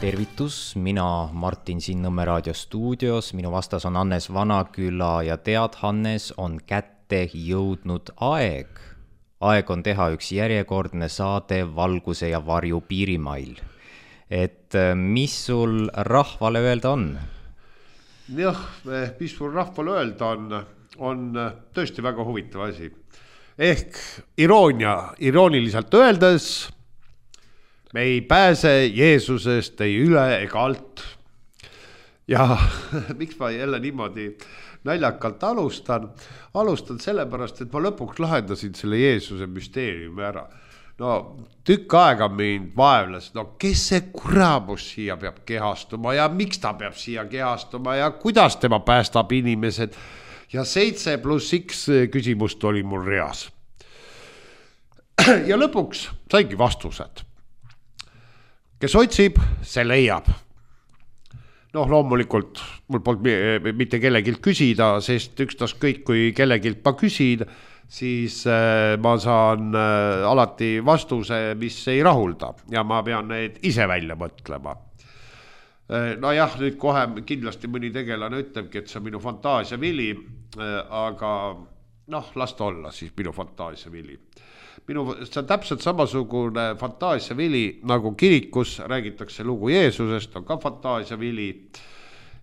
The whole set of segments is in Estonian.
Tervitus, mina Martin Sinnõmme raadio stuudios, minu vastas on Hannes Vanaküla ja tead, Hannes, on kätte jõudnud aeg. Aeg on teha üks järjekordne saade Valguse ja varju piirimail. Et mis sul rahvale öelda on? Jah, mis sul rahvale öelda on tõesti väga huvitav asi. Ehk irooniliselt öeldes, me ei pääse Jeesusest ei üle ega alt. Ja miks ma jälle niimoodi naljakalt alustan? Alustan sellepärast, et ma lõpuks lahendasin selle Jeesuse müsteeriumi ära. No tükk aega mind vaevles, kes see kuramus siia peab kehastuma ja miks ta peab siia kehastuma ja kuidas tema päästab inimesed. Ja 7+X küsimust oli mul reas. Ja lõpuks saigi vastused. Kes otsib, see leiab. Loomulikult mul polnud mitte kellegilt küsida, sest ükstas kõik, kui kellegilt ma küsin, siis ma saan alati vastuse, mis ei rahulda ja ma pean need ise välja mõtlema. Jah, nüüd kohe kindlasti mõni tegelane ütlebki, et see on minu fantaasia vili, aga las ta olla siis minu fantaasia vili. See on täpselt samasugune fantaasia vili, nagu kirikus räägitakse lugu Jeesusest, on ka fantaasia vili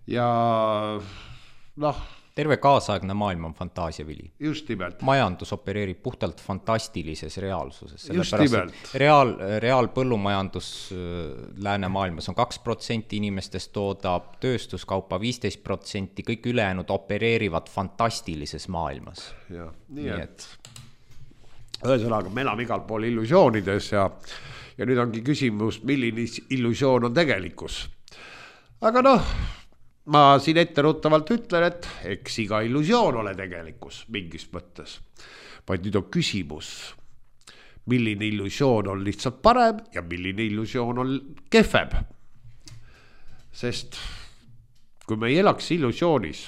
ja terve kaasaegne maailm on fantaasia vili. Just nimelt. Majandus opereerib puhtalt fantastilises reaalsuses. Just nimelt. Reaal põllumajandus läänemaailmas on 2% inimestest toodab, tööstuskaupa 15%, kõik ülejäänud opereerivad fantastilises maailmas. Ja, nii et ühesõnaga, me elame igal pool illusioonides ja nüüd ongi küsimus, milline illusioon on tegelikkus. Aga ma siin etteruttavalt ütlen, et eks iga illusioon ole tegelikkus mingis mõttes. Vaid nüüd on küsimus, milline illusioon on lihtsalt parem ja milline illusioon on kehvem. Sest kui me ei elaks illusioonis,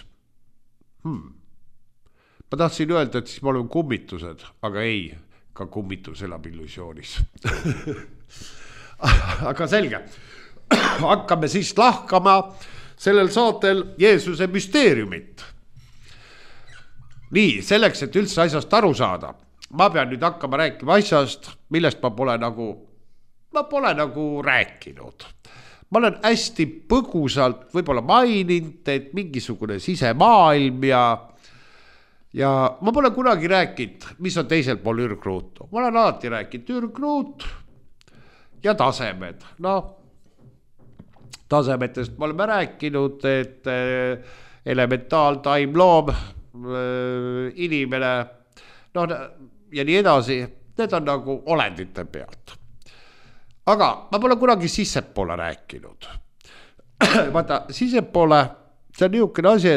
ma tahtsin öelda, et siis me oleme kummitused, aga ei, ka kummitus elab illusioonis. Aga selge, hakkame siis lahkama sellel saatel Jeesuse müsteeriumit. Nii, selleks, et üldse asjast aru saada, ma pean nüüd hakkama rääkima asjast, millest ma pole nagu rääkinud. Ma olen hästi põgusalt võib-olla maininud, et mingisugune sisemaailm ja ma pole kunagi rääkinud, mis on teisel pool ürgruutu. Ma olen alati rääkinud ürgruut ja tasemed. Tasemetest me oleme rääkinud, et elementaal, taim, loom, inimene, ja nii edasi, need on nagu olendite pealt. Aga ma pole kunagi sissepoole rääkinud. Vaata, sissepoole, see on niisugune asi,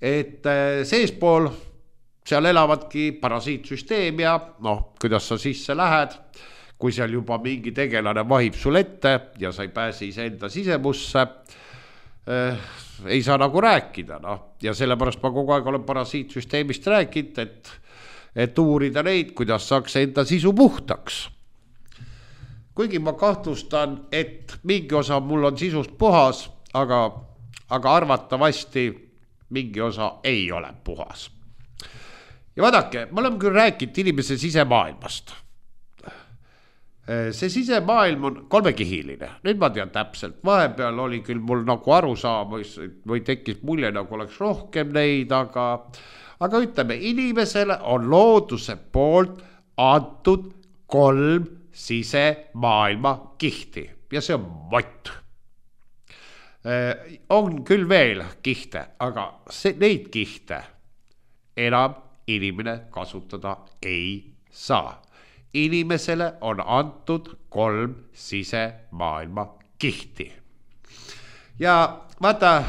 et seespool, seal elavadki parasiitsüsteem ja kuidas sa sisse lähed, kui seal juba mingi tegelane vahib sul ette ja sa ei pääse iseenda sisemusse, ei saa nagu rääkida. Ja sellepärast ma kogu aeg olen parasiitsüsteemist rääkinud, et uurida neid, kuidas saaks enda sisu puhtaks. Kuigi ma kahtlustan, et mingi osa mul on sisust puhas, aga arvatavasti mingi osa ei ole puhas. Ja vaadake, ma olen küll rääkinud inimese sisemaailmast. See sisemaailm on kolmekihiline. Nüüd ma tean täpselt. Vahepeal oli küll mul nagu aru saamas või tekkis mulje, nagu oleks rohkem neid, aga ütleme, inimesele on looduse poolt antud 3 sisemaailma kihti ja see on mott. On küll veel kihte, aga neid kihte enam inimene kasutada ei saa. Inimesele on antud 3 sisemaailma kihti. Ja vaata,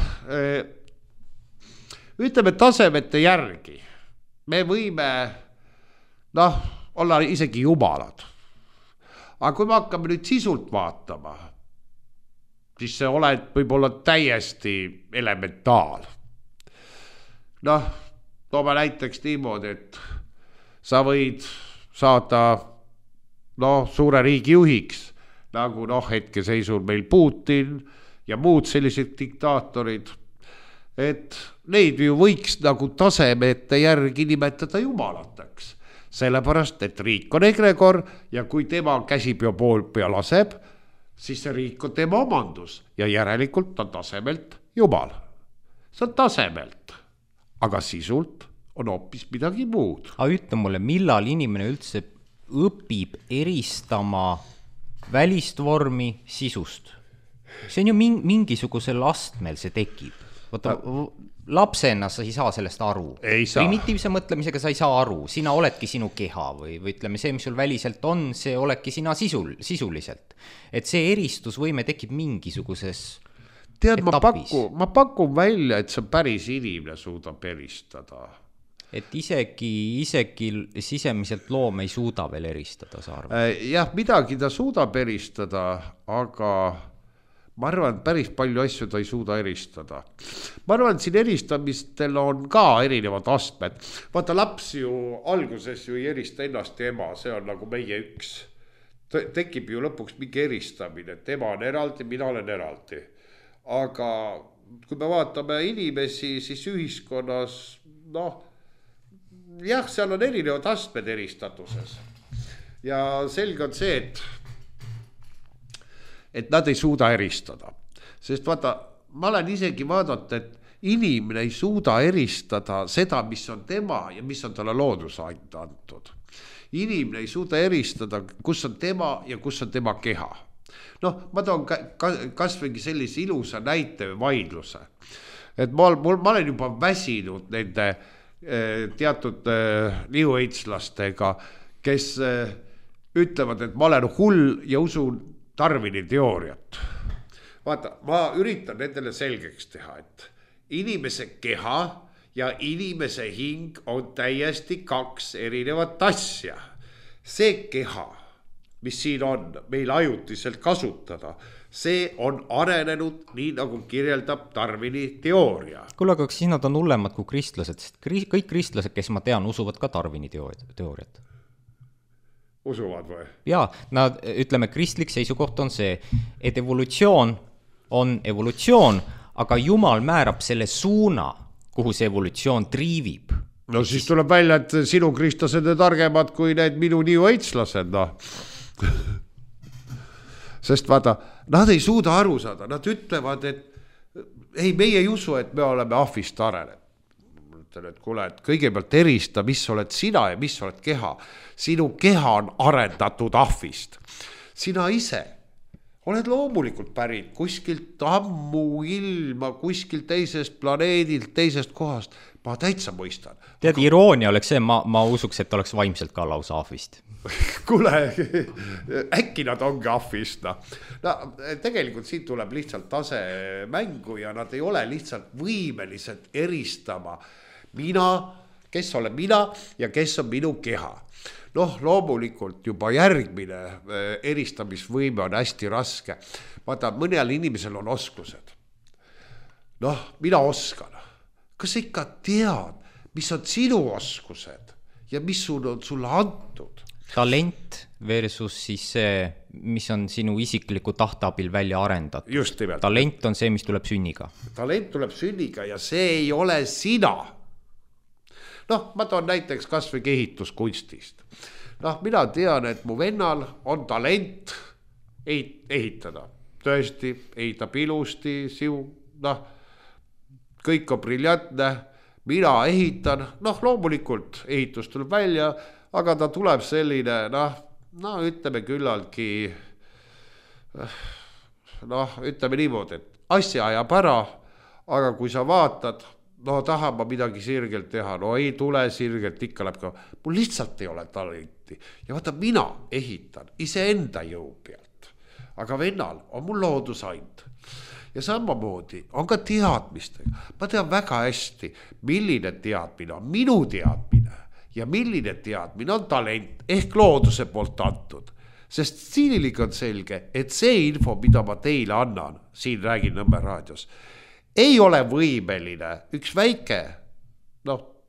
ütleme tasemete järgi, me võime olla isegi jumalad. Aga kui me hakkame nüüd sisult vaatama, siis see oled võib-olla täiesti elementaal. Toome näiteks niimoodi, et sa võid saada suure riigi juhiks, nagu hetkeseisul meil Putin ja muud sellised diktaatorid, et neid ju võiks nagu tasemete järgi nimetada jumalateks. Sellepärast, et riik on egregor ja kui tema käsipea pool pea laseb, siis see riik on tema omandus ja järelikult on tasemelt jumal. See on tasemelt, aga sisult on hoopis midagi muud. Aga ütle mulle, millal inimene üldse õpib eristama välist vormi sisust? See on ju mingisugusel astmel see tekib. Vaata, lapsena sa ei saa sellest aru. Primitiivse mõtlemisega sa ei saa aru. Sina oledki sinu keha või ütleme, see, mis sul väliselt on, see oledki sina sisuliselt. Et see eristusvõime tekib mingisuguses tead, ma pakun välja, et see päris inimene suudab eristada. Et isegi sisemiselt loom ei suuda veel eristada, sa arvad? Jah, midagi ta suudab eristada, aga ma arvan, päris palju asju ta ei suuda eristada. Ma arvan, et siin eristamistel on ka erinevad astmed. Vaata, laps ju alguses ju ei erista ennast ja ema, see on nagu meie üks. Tekib ju lõpuks mingi eristamine, et ema on eraldi, mina olen eraldi. Aga kui me vaatame inimesi, siis ühiskonnas, jah, seal on erinevad astmed eristatuses. Ja selge on see, et nad ei suuda eristada. Sest vaata, ma olen isegi vaadata, et inimene ei suuda eristada seda, mis on tema ja mis on talle loodus antud. Inimene ei suuda eristada, kus on tema ja kus on tema keha. Ma toon kasvõi sellise ilusa näite või vaidluse. Et ma olen juba väsinud nende teatud New Age-lastega, kes ütlevad, et ma olen hull ja usun Darwini teooriat. Vaata, ma üritan nendele selgeks teha, et inimese keha ja inimese hing on täiesti kaks erinevat asja. See keha, mis siin on meil ajutiselt kasutada, see on arenenud nii, nagu kirjeldab Darwini teooria. Kuule, aga siis nad on hullemad kui kristlased, sest kõik kristlased, kes ma tean, usuvad ka Darwini teooriat. Usuvad või? Jaa, nad, ütleme, kristlik seisukoht on see, et evolutsioon on evolutsioon, aga Jumal määrab selle suuna, kuhu see evolutsioon triivib. No siis tuleb välja, et sinu kristlased on targemad kui need minu New Age-lased, Sest vaata, nad ei suuda aru saada, nad ütlevad, et ei, meie ei usu, et me oleme ahvist arenenud. Ütlen, et kuule, et kõigepealt erista, mis oled sina ja mis oled keha. Sinu keha on arendatud ahvist. Sina ise oled loomulikult pärit kuskilt ammu ilma, kuskilt teisest planeedilt, teisest kohast. Ma täitsa mõistan. Tead, iroonia oleks see, ma usuks, et oleks vaimselt ka lausa ahvist. Kuule, äkki nad ongi ahvist. Tegelikult siin tuleb lihtsalt tase mängu ja nad ei ole lihtsalt võimelised eristama mina, kes olen mina ja kes on minu keha. Loomulikult juba järgmine eristamisvõime on hästi raske. Vaata, mõnel inimesel on oskused. Mina oskan. Kas sa ikka tead, mis on sinu oskused ja mis sul on sulle antud? Talent versus siis see, mis on sinu isikliku tahtabil välja arendatud. Just nimelt. Talent on see, mis tuleb sünniga. Talent tuleb sünniga ja see ei ole sina. Ma toon näiteks kasvõi ehituskunstist. Mina tean, et mu vennal on talent ehitada. Tõesti, ehitab ilusti, kõik on briljantne, mina ehitan, loomulikult ehitus tuleb välja, aga ta tuleb selline, ütleme küllaltki, ütleme niimoodi, et asja ajab ära, aga kui sa vaatad, tahan ma midagi sirgelt teha, ei tule sirgelt, ikka läheb ka, mul lihtsalt ei ole talenti. Ja vaata, mina ehitan iseenda jõu pealt, aga vennal on mul loodusand. Ja samamoodi on ka teadmistega. Ma tean väga hästi, milline teadmine on minu teadmine ja milline teadmine on talent ehk looduse poolt antud. Sest stiililik on selge, et see info, mida ma teile annan, siin räägin Nõmme raadios, ei ole võimeline üks väike,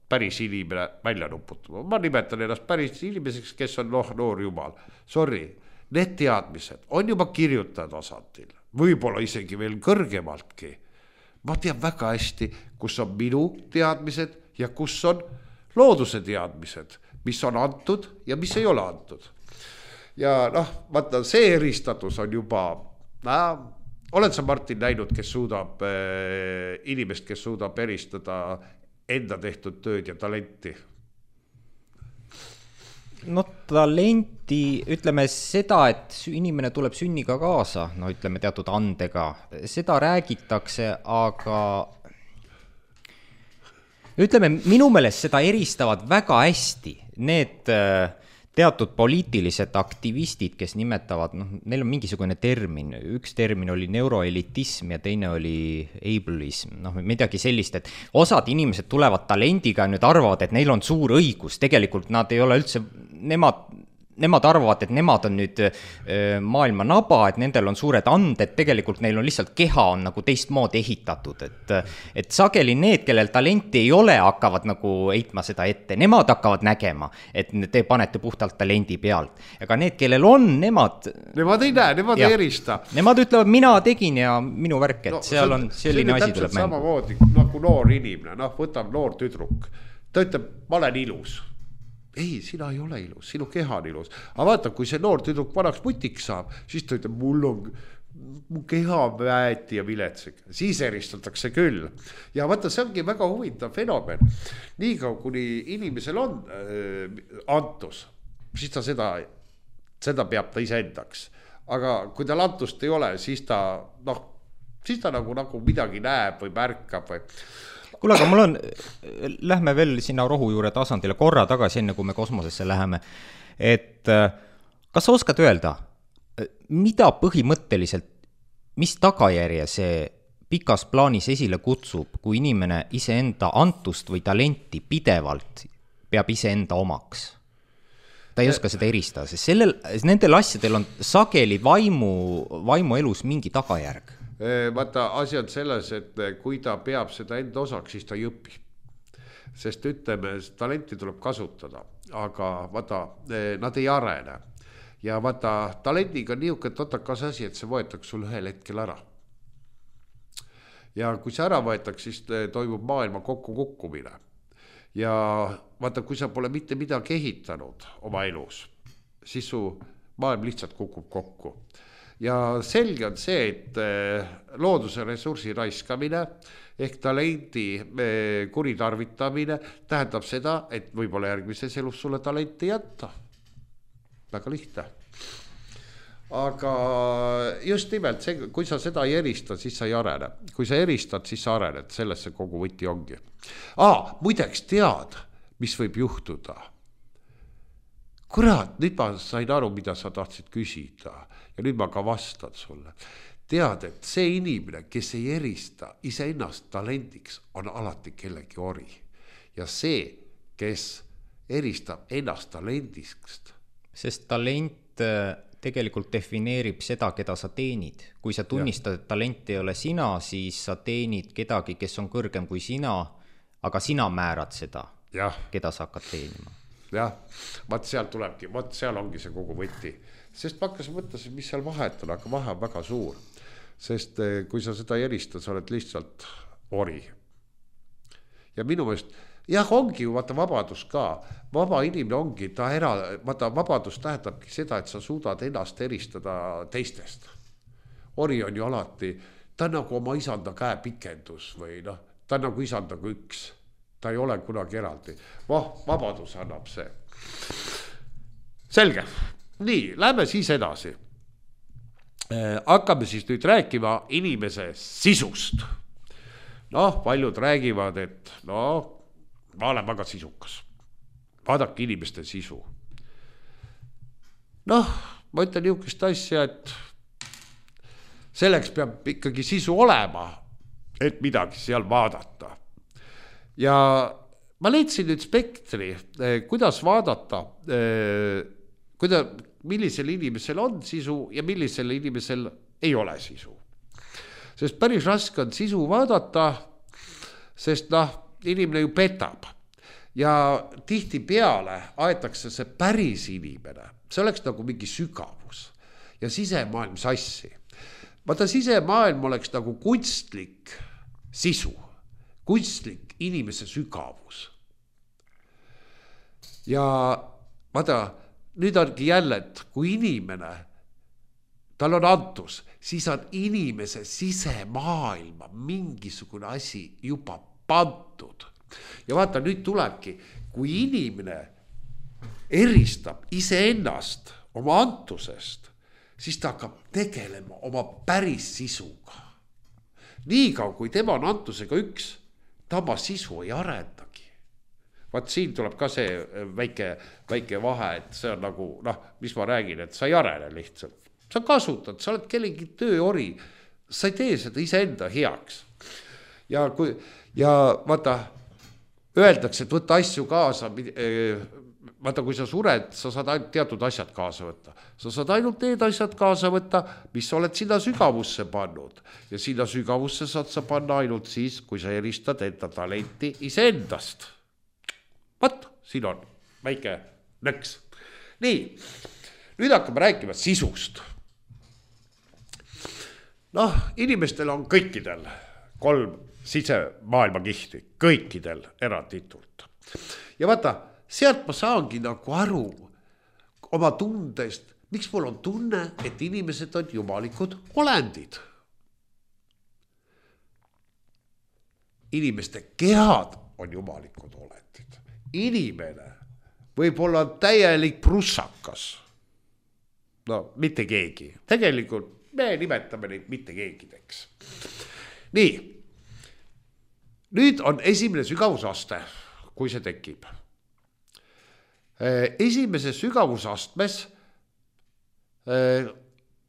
päris inimene välja nuputama. Ma nimetan ennast päris inimeseks, kes on noor jumal. Sorry, need teadmised on juba kirjutaja tasandil, võib-olla isegi veel kõrgemaltki. Ma tean väga hästi, kus on minu teadmised ja kus on looduse teadmised, mis on antud ja mis ei ole antud. Ja noh, vaata, see eristatus on juba, oled sa Martin näinud, kes suudab inimest, kes suudab eristada enda tehtud tööd ja talenti? No talenti, ütleme seda, et inimene tuleb sünniga kaasa, no ütleme teatud andega, seda räägitakse, aga ütleme, minu meelest seda eristavad väga hästi need teatud poliitilised aktivistid, kes nimetavad, neil on mingisugune termin, üks termin oli neuroelitism ja teine oli ableism, midagi sellist, et osad inimesed tulevad talendiga ja nüüd arvavad, et neil on suur õigus, tegelikult nad ei ole üldse, nemad arvavad, et nemad on nüüd maailma naba, et nendel on suured anded, tegelikult neil on lihtsalt keha on nagu teistmoodi ehitatud, et sageli need, kellel talenti ei ole, hakkavad nagu heitma seda ette, nemad hakkavad nägema, et te panete puhtalt talendi pealt, aga need, kellel on, nemad ei näe, nemad ei erista. Nemad ütlevad, mina tegin ja minu värk, et seal on selline asi tuleb mängu. Samamoodi nagu noor inimene, võtab noor tüdruk, ta ütleb, ma olen ilus. Ei, sina ei ole ilus, sinu keha on ilus. Aga vaata, kui see noor tüdruk vanaks mutiks saab, siis ta ütleb, mu keha väeti ja viletsik. Siis eristatakse küll. Ja vaata, see ongi väga huvitav fenomen. Niikaua, kuni inimesel on antus, siis ta seda peab ta iseendaks. Aga kui tal antust ei ole, siis ta nagu midagi näeb või märkab või... Kuule, aga mul on, lähme veel sinna rohujuure tasandile korra tagasi, enne kui me kosmosesse läheme, et kas sa oskad öelda, mida põhimõtteliselt, mis tagajärje see pikas plaanis esile kutsub, kui inimene iseenda antust või talenti pidevalt peab iseenda omaks? Ta ei oska seda eristada, sest nendel asjadel on sageli vaimu elus mingi tagajärg. Vaata, asi on selles, et kui ta peab seda enda osaks, siis ta ei õpi. Sest ütleme, talenti tuleb kasutada, aga vaata, nad ei arene. Ja vaata, talendiga on niisugune totakas asi, et see võetakse sul ühel hetkel ära. Ja kui see ära võetakse, siis toimub maailma kokkukukkumine. Ja vaata, kui sa pole mitte midagi ehitanud oma elus, siis su maailm lihtsalt kukub kokku. Ja selge on see, et looduse ressursi raiskamine ehk talendi kuritarvitamine tähendab seda, et võib-olla järgmises elus sulle talenti jätta. Väga lihtne. Aga just nimelt, kui sa seda ei erista, siis sa ei arene. Kui sa eristad, siis sa arened, sellesse kogu võti ongi. Muideks tead, mis võib juhtuda. Kurat, nüüd ma sain aru, mida sa tahtsid küsida ja nüüd ma ka vastan sulle. Tead, et see inimene, kes ei erista iseennast talendiks, on alati kellegi ori. Ja see, kes eristab ennast talendist. Sest talent tegelikult defineerib seda, keda sa teenid. Kui sa tunnistad, et talent ei ole sina, siis sa teenid kedagi, kes on kõrgem kui sina, aga sina määrad seda, keda sa hakkad teenima. Jah, seal ongi see kogu võti. Sest ma hakkasin mõttes, mis seal vahet on, aga vahe on väga suur. Sest kui sa seda ei erista, sa oled lihtsalt ori. Ja minu meelest, ongi ju vaata vabadus ka. Vaba inimene ongi, vaata vabadus tähendabki seda, et sa suudad ennast eristada teistest. Ori on ju alati, ta on nagu oma isanda käepikendus või ta on nagu isandaga üks. Ta ei ole kunagi eraldi. Vabadus annab see. Selge. Nii, lähme siis edasi. Hakkame siis nüüd rääkima inimese sisust. Paljud räägivad, et ma olen väga sisukas. Vaadake inimeste sisu. Ma ütlen niisugust asja, et selleks peab ikkagi sisu olema, et midagi seal vaadata. Ja ma leidsin nüüd spektri, kuidas vaadata, millisel inimesel on sisu ja millisel inimesel ei ole sisu. Sest päris raske on sisu vaadata, sest inimene ju petab. Ja tihti peale aetakse see päris inimene. See oleks nagu mingi sügavus. ja sisemaailm sassi. Vaata, sisemaailm oleks nagu kunstlik sisu, kunstlik inimese sügavus. Ja vaata, nüüd ongi jälle, et kui inimene, tal on antus, siis on inimese sisemaailma mingisugune asi juba pandud. Ja vaata, nüüd tulebki, kui inimene eristab iseennast oma antusest, siis ta hakkab tegelema oma päris sisuga. Niikaua, kui tema on antusega üks, ta oma sisu ei arendagi. Vaat siin tuleb ka see väike vahe, et see on nagu, mis ma räägin, et sa ei arene lihtsalt. Sa kasutad, sa oled kellegi tööori, sa ei tee seda iseenda heaks. Ja vaata, öeldakse, et võtta asju kaasa, vaata, kui sa sured, sa saad ainult teatud asjad kaasa võtta. Sa saad ainult need asjad kaasa võtta, mis sa oled sinna sügavusse pannud. Ja sinna sügavusse saad sa panna ainult siis, kui sa eristad enda talenti iseendast. Vaat, siin on väike nõks. Nii, nüüd hakkame rääkima sisust. Inimestel on kõikidel 3 sisemaailma kihti, kõikidel eranditult. Ja vaata, sealt ma saangi nagu aru oma tundest, miks mul on tunne, et inimesed on jumalikud olendid. Inimeste kehad on jumalikud olendid. Inimene võib olla täielik prussakas. Mitte keegi. Tegelikult me nimetame neid mitte keegideks. Nii, nüüd on esimene sügavusaste, kui see tekib. Esimese sügavusastmes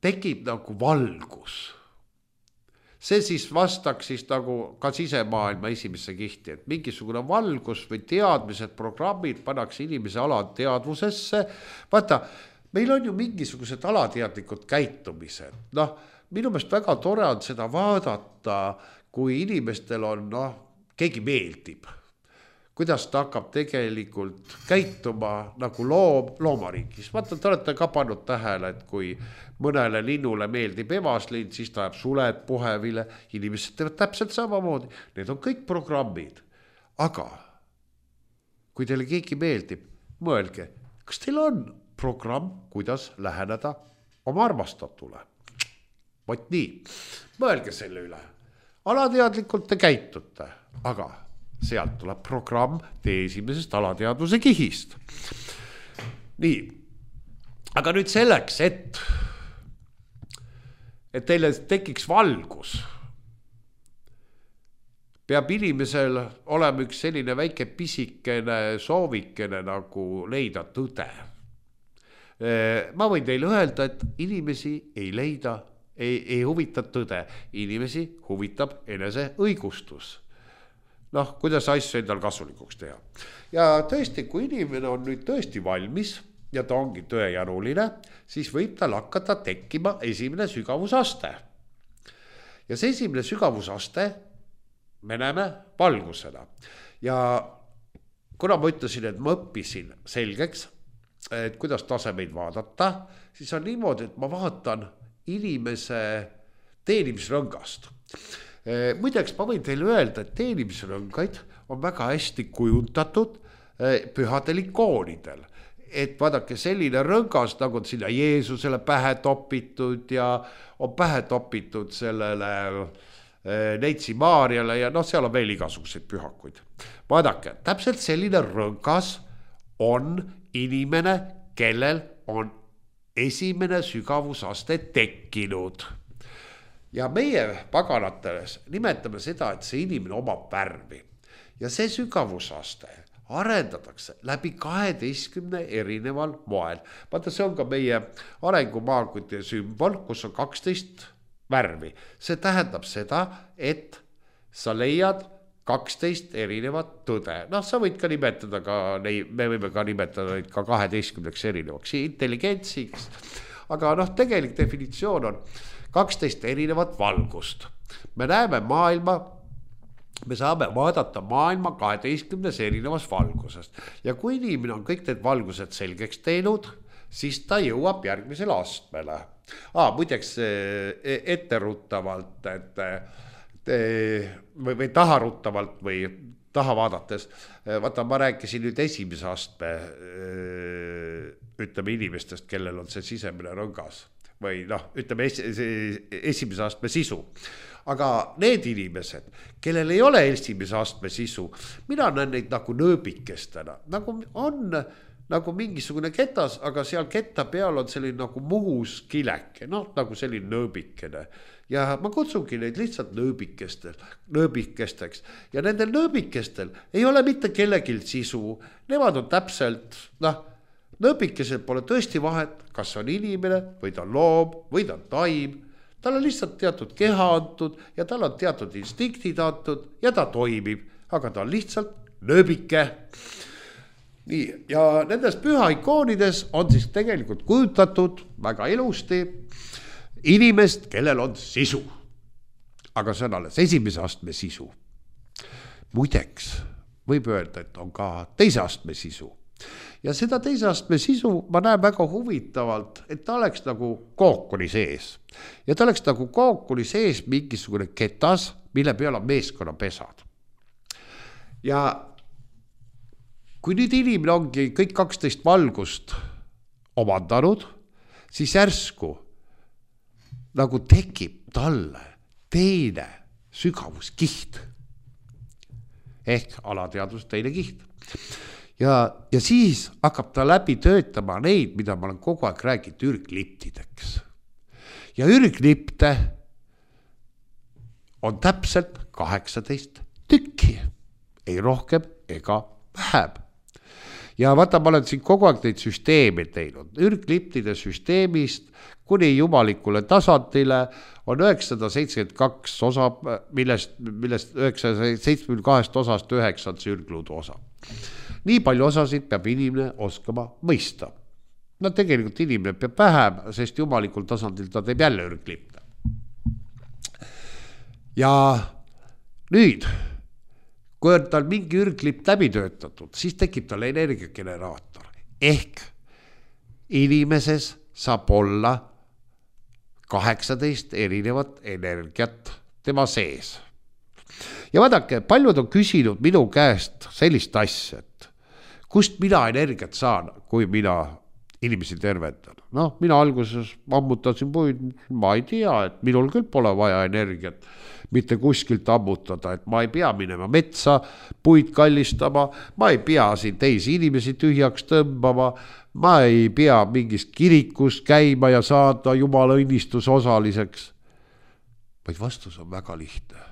tekib nagu valgus. See siis vastaks siis nagu ka sisemaailma esimesse kihti, et mingisugune valgus või teadmised, programmid pannakse inimese alateadvusesse. Vaata, meil on ju mingisugused alateadlikud käitumised. Minu meelest väga tore on seda vaadata, kui inimestel on, keegi meeldib. Kuidas ta hakkab tegelikult käituma nagu loomariigis. Vaata, te olete ka pannud tähele, et kui mõnele linnule meeldib evaslinn, siis ta jääb suled puhevile. Inimesed teevad täpselt samamoodi. Need on kõik programmid. Aga kui teile keegi meeldib, mõelge, kas teil on programm, kuidas läheneda oma armastatule? Vot nii, mõelge selle üle. Alateadlikult te käitute, aga sealt tuleb programm teie esimesest alateadvuse kihist. Nii, aga nüüd selleks, et teile tekiks valgus, peab inimesel olema üks selline väike pisikene soovikene nagu leida tõde. Ma võin teile öelda, et inimesi ei leida, ei huvita tõde. Inimesi huvitab enese õigustus. Kuidas asju endal kasulikuks teha. Ja tõesti, kui inimene on nüüd tõesti valmis ja ta ongi tõejanuline, siis võib tal hakata tekkima esimene sügavusaste. Ja see esimene sügavusaste me näeme valgusena. Ja kuna ma ütlesin, et ma õppisin selgeks, et kuidas tasemeid vaadata, siis on niimoodi, et ma vaatan inimese teenimisrõngast. Muideks ma võin teile öelda, et teenimisrõngaid on väga hästi kujundatud pühadel ikoonidel. Et vaadake, selline rõngas, nagu on sinna Jeesusele pähe topitud ja on pähe topitud sellele Neitsi Maarjale ja seal on veel igasuguseid pühakuid. Vaadake, täpselt selline rõngas on inimene, kellel on esimene sügavusaste tekkinud. Ja meie paganatele nimetame seda, et see inimene omab värvi. Ja see sügavusaste arendatakse läbi 12 erineval moel. Vaata, see on ka meie arengumaakude sümbol, kus on 12 värvi. See tähendab seda, et sa leiad 12 erinevat tõde. Sa võid ka nimetada me võime ka nimetada neid ka 12 erinevaks intelligentsiks. Aga tegelik definitsioon on 12 erinevat valgust. Me näeme maailma, me saame vaadata maailma 12 erinevas valgusest. Ja kui inimene on kõik need valgused selgeks teinud, siis ta jõuab järgmisele astmele. Muideks etteruttavalt, või taharuttavalt või taha vaadates, vaata, ma rääkisin nüüd esimese astme, ütleme inimestest, kellel on see sisemine rõngas või ütleme esimese astme sisu. Aga need inimesed, kellel ei ole esimese astme sisu, mina näen neid nagu nööbikestena, nagu on nagu mingisugune ketas, aga seal ketta peal on selline nagu muhus kileke, nagu selline nööbikene. Ja ma kutsungi neid lihtsalt nööbikesteks. Ja nendel nööbikestel ei ole mitte kellegil sisu. Nemad on täpselt, nööbikesel pole tõesti vahet, kas on inimene või ta on loom või ta on taim. Tal on lihtsalt teatud keha antud ja tal on teatud instiktid antud ja ta toimib, aga ta on lihtsalt nööbike. Nii, ja nendes püha ikoonides on siis tegelikult kujutatud väga ilusti inimest, kellel on sisu. Aga see on alles esimese astme sisu. Muideks võib öelda, et on ka teise astme sisu. Ja seda teise astme sisu ma näen väga huvitavalt, et ta oleks nagu kookuli sees. Ja ta oleks nagu kookuli sees mingisugune ketas, mille peal on meeskonnapesad. Ja kui nüüd inimene ongi kõik 12 valgust omandanud, siis järsku nagu tekib talle teine sügavuskiht. Ehk alateadvus teine kiht. Ja siis hakkab ta läbi töötama neid, mida ma olen kogu aeg rääginud ürgliptideks. Ja ürglipte on täpselt 18 tükki. Ei rohkem ega vähem. Ja vaata, ma olen siin kogu aeg neid süsteeme teinud. Ürgliptide süsteemist kuni jumalikule tasandile on 972 osa, millest 972 osast 9 on see ürgluudu osa. Nii palju osasid peab inimene oskama mõista. Tegelikult inimene peab vähem, sest jumalikul tasandil ta teeb jälle ürglipte. Ja nüüd, kui on tal mingi ürglipp läbi töötatud, siis tekib tal energiageneraator. Ehk inimeses saab olla 18 erinevat energiat tema sees. Ja vaadake, paljud on küsinud minu käest sellist asja, et kust mina energiat saan, kui mina inimesi tervendan. Mina alguses ammutasin puid, ma ei tea, et minul küll pole vaja energiat mitte kuskilt ammutada, et ma ei pea minema metsa, puid kallistama, ma ei pea siin teisi inimesi tühjaks tõmbama, ma ei pea mingis kirikus käima ja saada jumala õnnistuse osaliseks. Vaid vastus on väga lihtne.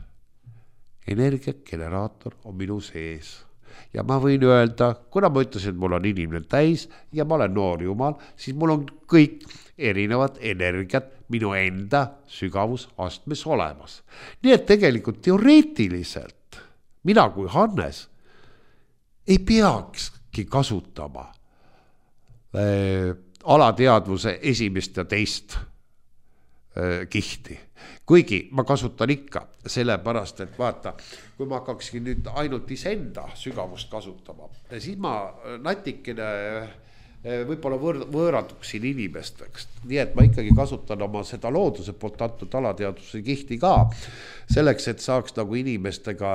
Energiageneraator on minu sees. Ja ma võin öelda, kuna ma ütlesin, et mul on inimene täis ja ma olen noor jumal, siis mul on kõik erinevad energiat minu enda sügavusastmes olemas. Nii et tegelikult teoreetiliselt mina kui Hannes ei peakski kasutama alateadvuse esimest ja teist kihti. Kuigi ma kasutan ikka sellepärast, et vaata, kui ma hakkaksin nüüd ainult iseenda sügavust kasutama, siis ma natikene võib-olla võõratuksin inimesteks. Nii et ma ikkagi kasutan oma seda looduse poolt antud alateadvuse kihti ka selleks, et saaks nagu inimestega,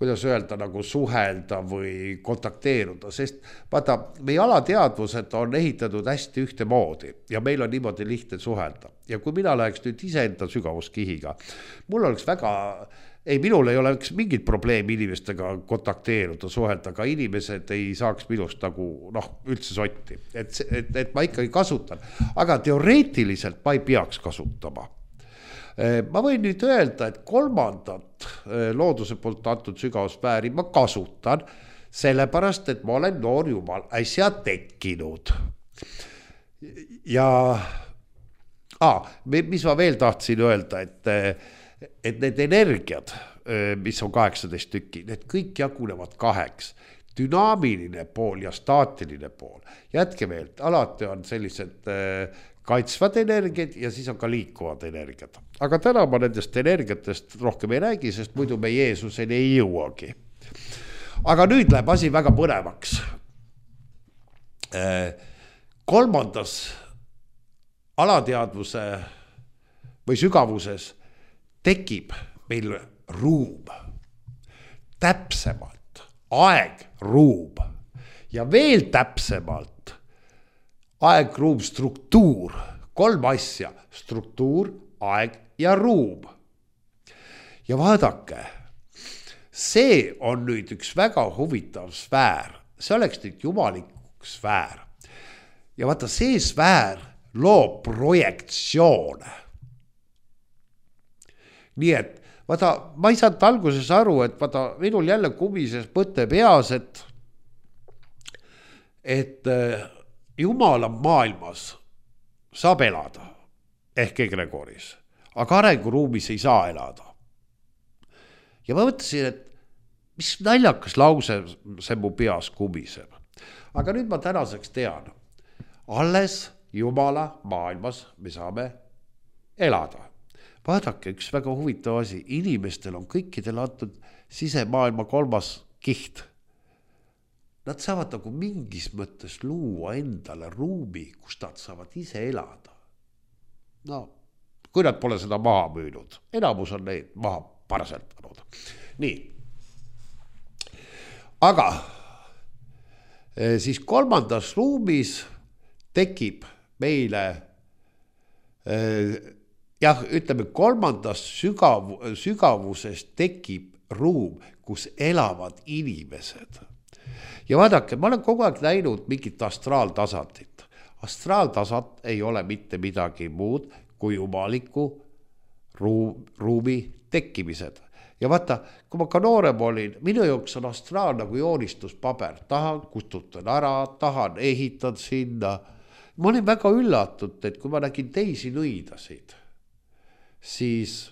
kuidas öelda, nagu suhelda või kontakteeruda, sest vaata, meie alateadvused on ehitatud hästi ühtemoodi ja meil on niimoodi lihtne suhelda. Ja kui mina läheks nüüd iseenda sügavuskihiga, mul oleks minul ei oleks mingit probleemi inimestega kontakteeruda, suhelda, aga inimesed ei saaks minust nagu üldse sotti. Et ma ikkagi kasutan, aga teoreetiliselt ma ei peaks kasutama. Ma võin nüüd öelda, et kolmandat looduse poolt antud sügavuspäri ma kasutan sellepärast, et ma olen noor jumal äsja tekkinud. Ja mis ma veel tahtsin öelda, et need energiad, mis on 18 tükki, need kõik jagunevad 2. Dünaamiline pool ja staatiline pool. Jätke veel, alati on sellised kaitsvad energiad ja siis on ka liikuvad energiad. Aga täna ma nendest energiatest rohkem ei räägi, sest muidu me Jeesuseni ei jõuagi. Aga nüüd läheb asi väga põnevaks. Kolmandas alateadvuse või sügavuses tekib meil ruum, täpsemalt aeg, ruum ja veel täpsemalt aeg, ruum, struktuur, 3 asja, struktuur, aeg ja ruum. Ja vaadake, see on nüüd üks väga huvitav sfäär, see oleks nüüd jumalik sfäär. Ja vaata, see sfäär loob projektsioone. Nii et vaata, ma ei saanud alguses aru, et vaata, minul jälle kumises mõte peas, et Jumala maailmas saab elada ehk egregoris, aga arenguruumis ei saa elada. Ja ma mõtlesin, et mis naljakas lause see mu peas kumiseb. Aga nüüd ma tänaseks tean, alles Jumala maailmas me saame elada. Vaadake, üks väga huvitav asi, inimestel on kõikidel antud sisemaailma 3. kiht. Nad saavad nagu mingis mõttes luua endale ruumi, kus nad saavad ise elada. No, kui nad pole seda maha müünud, enamus on neid maha paraseltanud. Nii. Aga siis 3. ruumis tekib meile, ütleme 3. sügavuses tekib ruum, kus elavad inimesed. Ja vaadake, ma olen kogu aeg näinud mingit astraaltasandit. Astraaltasand ei ole mitte midagi muud kui jumaliku ruumi tekkimised. Ja vaata, kui ma ka noorem olin, minu jaoks on astraal nagu joonistuspaber. Tahan, kustutan ära, tahan, ehitan sinna. Ma olin väga üllatud, et kui ma nägin teisi nõidasid, siis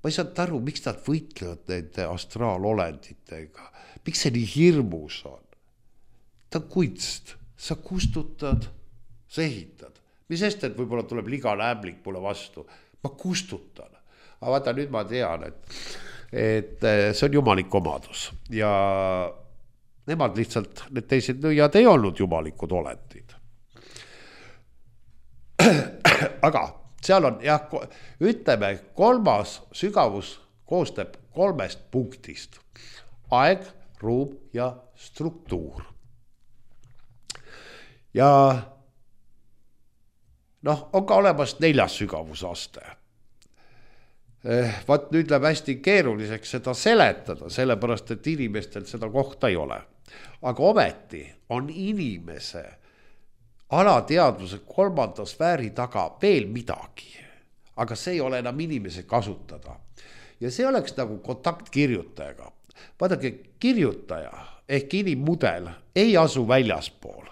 ma ei saanud aru, miks nad võitlevad nende astraalolenditega. Miks see nii hirmus on? Ta on kunst, sa kustutad, sa ehitad. Mis sest, et võib-olla tuleb ligane ämblik mulle vastu. Ma kustutan. Aga vaata, nüüd ma tean, et see on jumalik omadus. Ja nemad lihtsalt, need teised nõiad ei olnud jumalikud olendid. Aga seal on, ütleme, 3. sügavus koostab 3 punktist. Aeg, ruum ja struktuur. Ja on ka olemas 4. sügavusaste. Vaat nüüd läheb hästi keeruliseks seda seletada, sellepärast, et inimestel seda kohta ei ole. Aga ometi on inimese alateadvuse 3. sfääri taga veel midagi. Aga see ei ole enam inimese kasutada. Ja see oleks nagu kontaktkirjutajaga. Vaadake, kirjutaja ehk inimmudel ei asu väljaspool.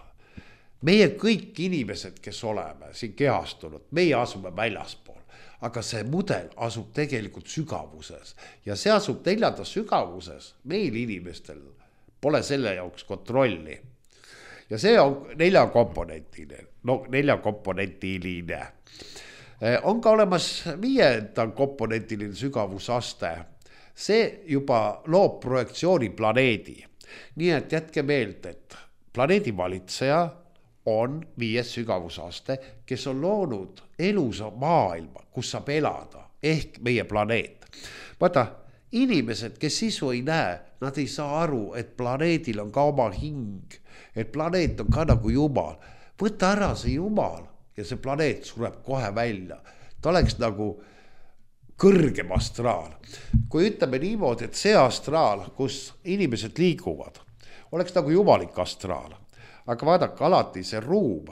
Meie kõik inimesed, kes oleme siin kehastunud, meie asume väljaspool. Aga see mudel asub tegelikult sügavuses. Ja see asub 4. sügavuses. Meil inimestel pole selle jaoks kontrolli. Ja see on 4-komponentiline. 4-komponentiline. On ka olemas 5. komponentiline sügavusaste. See juba loob projektsiooni planeedi. Nii et jätke meelde, et planeedi valitseja on 5. sügavusaste, kes on loonud elusa maailma, kus saab elada, ehk meie planeet. Vaata, inimesed, kes sisu ei näe, nad ei saa aru, et planeedil on ka oma hing, et planeet on ka nagu jumal. Võta ära see jumal ja see planeet sureb kohe välja. Ta oleks nagu kõrgem astraal. Kui ütleme niimoodi, et see astraal, kus inimesed liiguvad, oleks nagu jumalik astraal. Aga vaadake, alati see ruum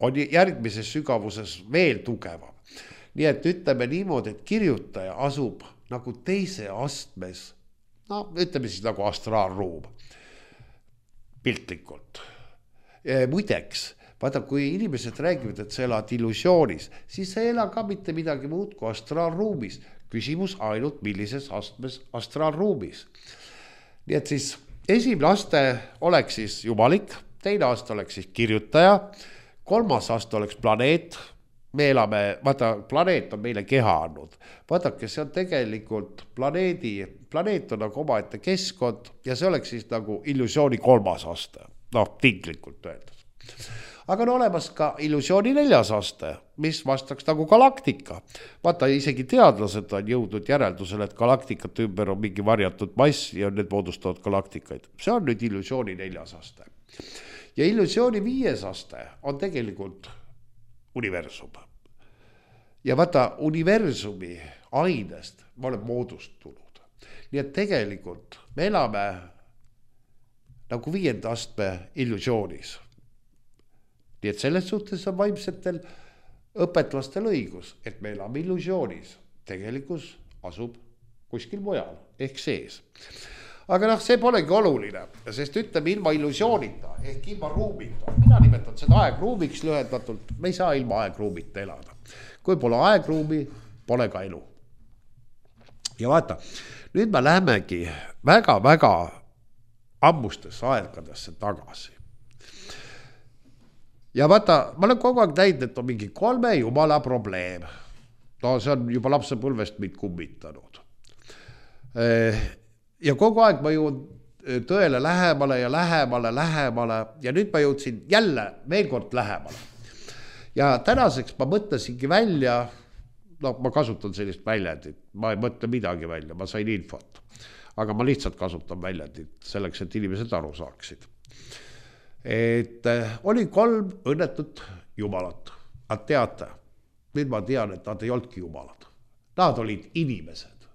on järgmises sügavuses veel tugevam. Nii et ütleme niimoodi, et kirjutaja asub nagu teise astmes, ütleme siis nagu astraalruum, piltlikult. Muideks, vaata, kui inimesed räägivad, et sa elad illusioonis, siis sa ei ela ka mitte midagi muud kui astraalruumis. Küsimus ainult millises astmes astraalruumis. Nii et siis esimene aste oleks siis jumalik, teine aste oleks siis kirjutaja, 3. aste oleks planeet. Me elame, vaata, planeet on meile keha andnud. Vaadake, see on tegelikult planeet on nagu omaette keskkond ja see oleks siis nagu illusiooni 3. aste. Tinglikult öeldes. aga on olemas ka illusiooni 4. aste, mis vastaks nagu galaktika. Vaata, isegi teadlased on jõudnud järeldusele, et galaktikate ümber on mingi varjatud mass ja need moodustavad galaktikaid. See on nüüd illusiooni 4. aste. Ja illusiooni 5. aste on tegelikult universum. Ja vaata, universumi ainest me oleme moodustunud. Nii et tegelikult me elame nagu 5. astme illusioonis. Nii et selles suhtes on vaimsetel õpetlastel õigus, et me elame illusioonis. Tegelikkus asub kuskil mujal, ehk sees. Aga see polegi oluline, sest ütleme ilma illusioonita, ehk ilma ruumita. Mina nimetan seda aegruumiks lühendatult, me ei saa ilma aegruumita elada. Kui pole aegruumi, pole ka elu. Ja vaata, nüüd me lähemegi väga-väga ammustesse aegadesse tagasi. Ja vaata, ma olen kogu aeg näinud, et on mingi 3 jumala probleem. No see on juba lapsepõlvest mind kummitanud. Ja kogu aeg ma jõudin tõele lähemale ja lähemale ja nüüd ma jõudsin jälle veel kord lähemale. Ja tänaseks ma mõtlesingi välja, ma kasutan sellist väljendit, ma ei mõtle midagi välja, ma sain infot. Aga ma lihtsalt kasutan väljendit selleks, et inimesed aru saaksid. Et oli 3 õnnetut jumalat. Nad teate, nüüd ma tean, et nad ei olnudki jumalad. Nad olid inimesed.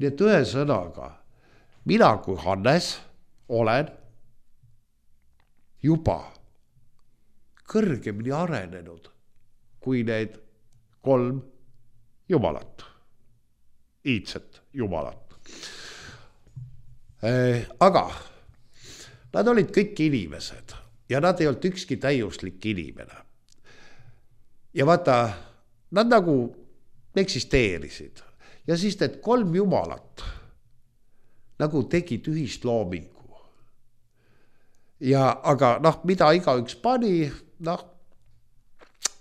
Nii et ühe sõnaga, mina kui Hannes olen juba kõrgemini arenenud kui need 3 jumalat. Iidset jumalat. Aga nad olid kõik inimesed ja nad ei olnud ükski täiuslik inimene. Ja vaata, nad nagu eksisteerisid. Ja siis need 3 jumalat nagu tegid ühist loomingu. Ja aga mida igaüks pani,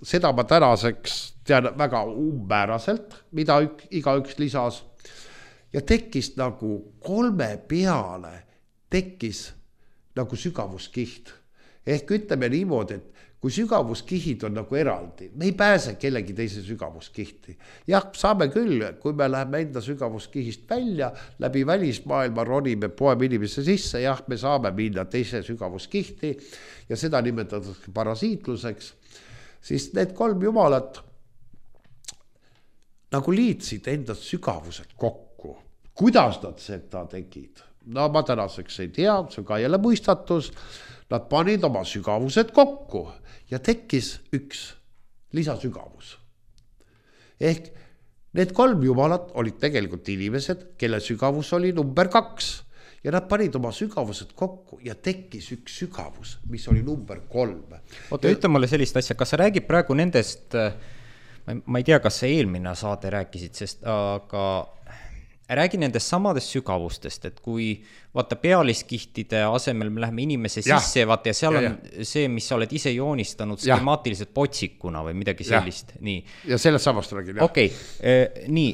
seda ma tänaseks tean väga umbmääraselt, mida igaüks lisas. Ja tekkis nagu 3 peale, tekkis nagu sügavuskiht. Ehk ütleme niimoodi, et kui sügavuskihid on nagu eraldi, me ei pääse kellegi teise sügavuskihti. Jah, saame küll, kui me läheme enda sügavuskihist välja, läbi välismaailma ronime poeme inimese sisse, jah, me saame minna teise sügavuskihti ja seda nimetatakse parasiitluseks, siis need 3 jumalat nagu liitsid enda sügavused kokku. Kuidas nad seda tegid? No ma tänaseks ei tea, see on ka jälle mõistatus. Nad panid oma sügavused kokku ja tekkis üks lisasügavus. Ehk need 3 jumalat olid tegelikult inimesed, kelle sügavus oli number 2. Ja nad panid oma sügavused kokku ja tekkis üks sügavus, mis oli number 3. Oota, ütle mulle sellist asja, kas sa räägid praegu nendest, ma ei tea, kas sa eelmine saade rääkisid, sest aga räägi nendest samadest sügavustest, et kui vaata pealiskihtide asemel me läheme inimese sisse vaata, ja seal on see, mis sa oled ise joonistanud skemaatiliselt potsikuna või midagi sellist. Nii. Ja sellest samast räägin. Okei, nii,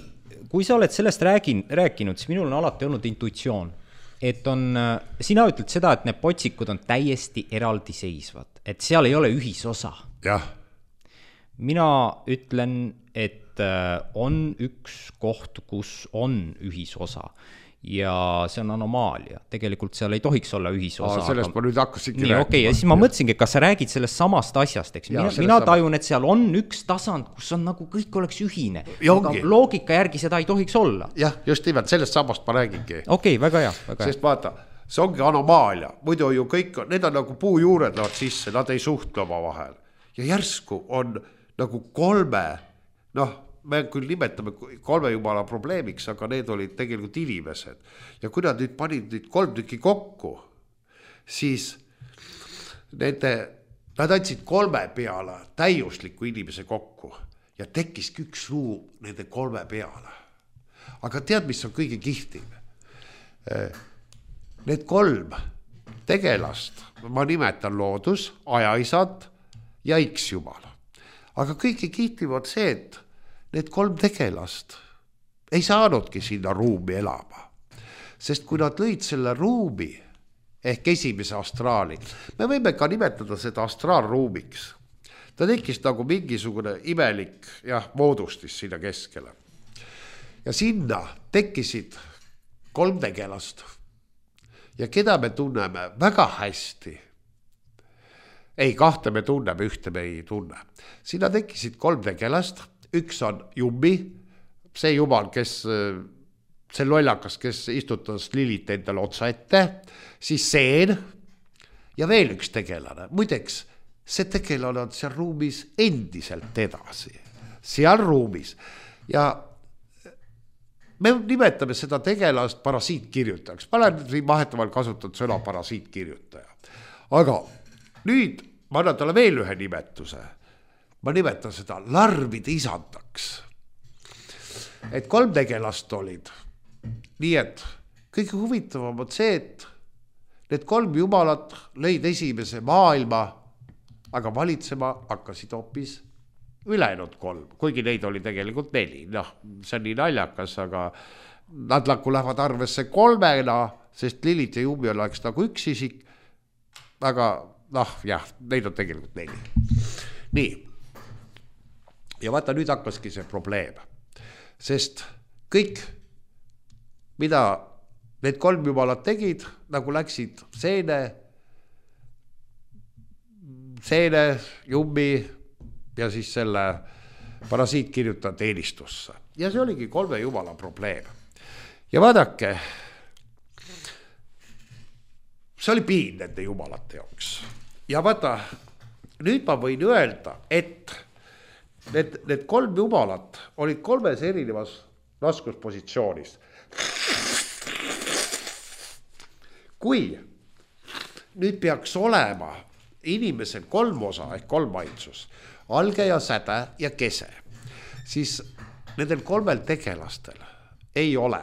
kui sa oled sellest rääkinud, siis minul on alati olnud intuitsioon, et sina ütled seda, et need potsikud on täiesti eraldiseisvad, et seal ei ole ühisosa. Jah. Mina ütlen, et on üks koht, kus on ühisosa ja see on anomaalia. Tegelikult seal ei tohiks olla ühisosa. Sellest ma nüüd hakkasingi rääkima. Okei, ja siis ma mõtlesingi, kas sa räägid sellest samast asjast, eks? Mina tajun, et seal on üks tasand, kus on nagu kõik oleks ühine. Aga loogika järgi seda ei tohiks olla. Jah, just nimelt, sellest samast ma räägingi. Okei, väga hea. Sest vaata, see ongi anomaalia. Muidu ju kõik, need on nagu puujuured lähevad sisse, nad ei suhtle oma vahel. Ja järsku on nagu 3, me küll nimetame 3 jumala probleemiks, aga need olid tegelikult inimesed. Ja kui nad nüüd panid 3 tükki kokku, siis nad andsid 3 peale täiusliku inimese kokku ja tekkiski üks ruum nende 3 peale. Aga tead, mis on kõige kihtim? Need 3 tegelast, ma nimetan loodus, ajaisad ja X-jumal. Aga kõige kihtim on see, et need 3 tegelast ei saanudki sinna ruumi elama. Sest kui nad lõid selle ruumi, ehk esimese astraali. Me võime ka nimetada seda astraalruumiks. Ta tekkis nagu mingisugune imelik moodustis sinna keskele. Ja sinna tekkisid 3 tegelast. Ja keda me tunneme väga hästi. Ei, 2 me tunneme, 1 me ei tunne. Sinna tekkisid 3 tegelast. Üks on Jummi, see jumal, kes, see lollakas, kes istutas Lilit endale otsa ette. Siis Seen ja veel üks tegelane. Muideks, see tegelane on seal ruumis endiselt edasi. Seal ruumis. Ja me nimetame seda tegelast parasiitkirjutajaks. Ma olen siin vahetavalt kasutanud sõna parasiitkirjutaja. Aga nüüd ma annan talle veel ühe nimetuse. Ma nimetan seda larvide isandaks. Et 3 tegelast olid. Nii et kõige huvitavam on see, et need 3 jumalat lõid esimese maailma, aga valitsema hakkasid hoopis ülejäänud 3, kuigi neid oli tegelikult 4. Noh, see on nii naljakas, aga nad lähevad arvesse 3-na, sest Lilit ja Jummi oleks nagu üks isik, aga neid on tegelikult 4. Nii. Ja vaata, nüüd hakkaski see probleem, sest kõik, mida need 3 jumalat tegid, nagu läksid Seene, Jummi ja siis selle parasiitkirjutaja teenistusse. Ja see oligi 3 jumala probleem. Ja vaadake, see oli piin nende jumalate jaoks. Ja vaata, nüüd ma võin öelda, et need 3 jumalat olid 3 erinevas raskuspositsioonis. Kui nüüd peaks olema inimesel 3 osa ehk 3 ainsus, alge ja säde ja kese, siis nendel 3 tegelastel ei ole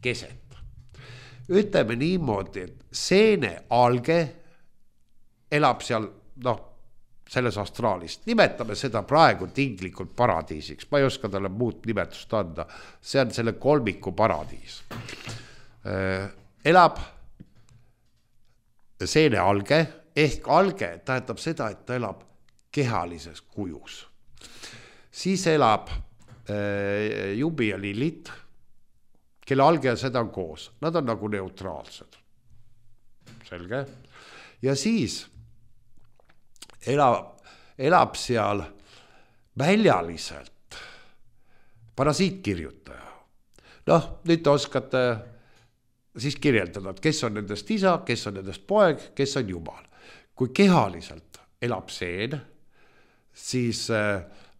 keset. Ütleme niimoodi, et Seene alge elab seal, selles astraalist. Nimetame seda praegu tinglikult paradiisiks. Ma ei oska talle muud nimetust anda. See on selle 3 paradiis. Elab Seene alge, ehk alge tähendab seda, et ta elab kehalises kujus. Siis elab Jummi ja Lilit, kelle alge ja seda on koos. Nad on nagu neutraalsed. Selge. Ja siis elab seal väljaliselt parasiitkirjutaja. Nüüd te oskate siis kirjeldada, et kes on nendest isa, kes on nendest poeg, kes on jumal. Kui kehaliselt elab Seen, siis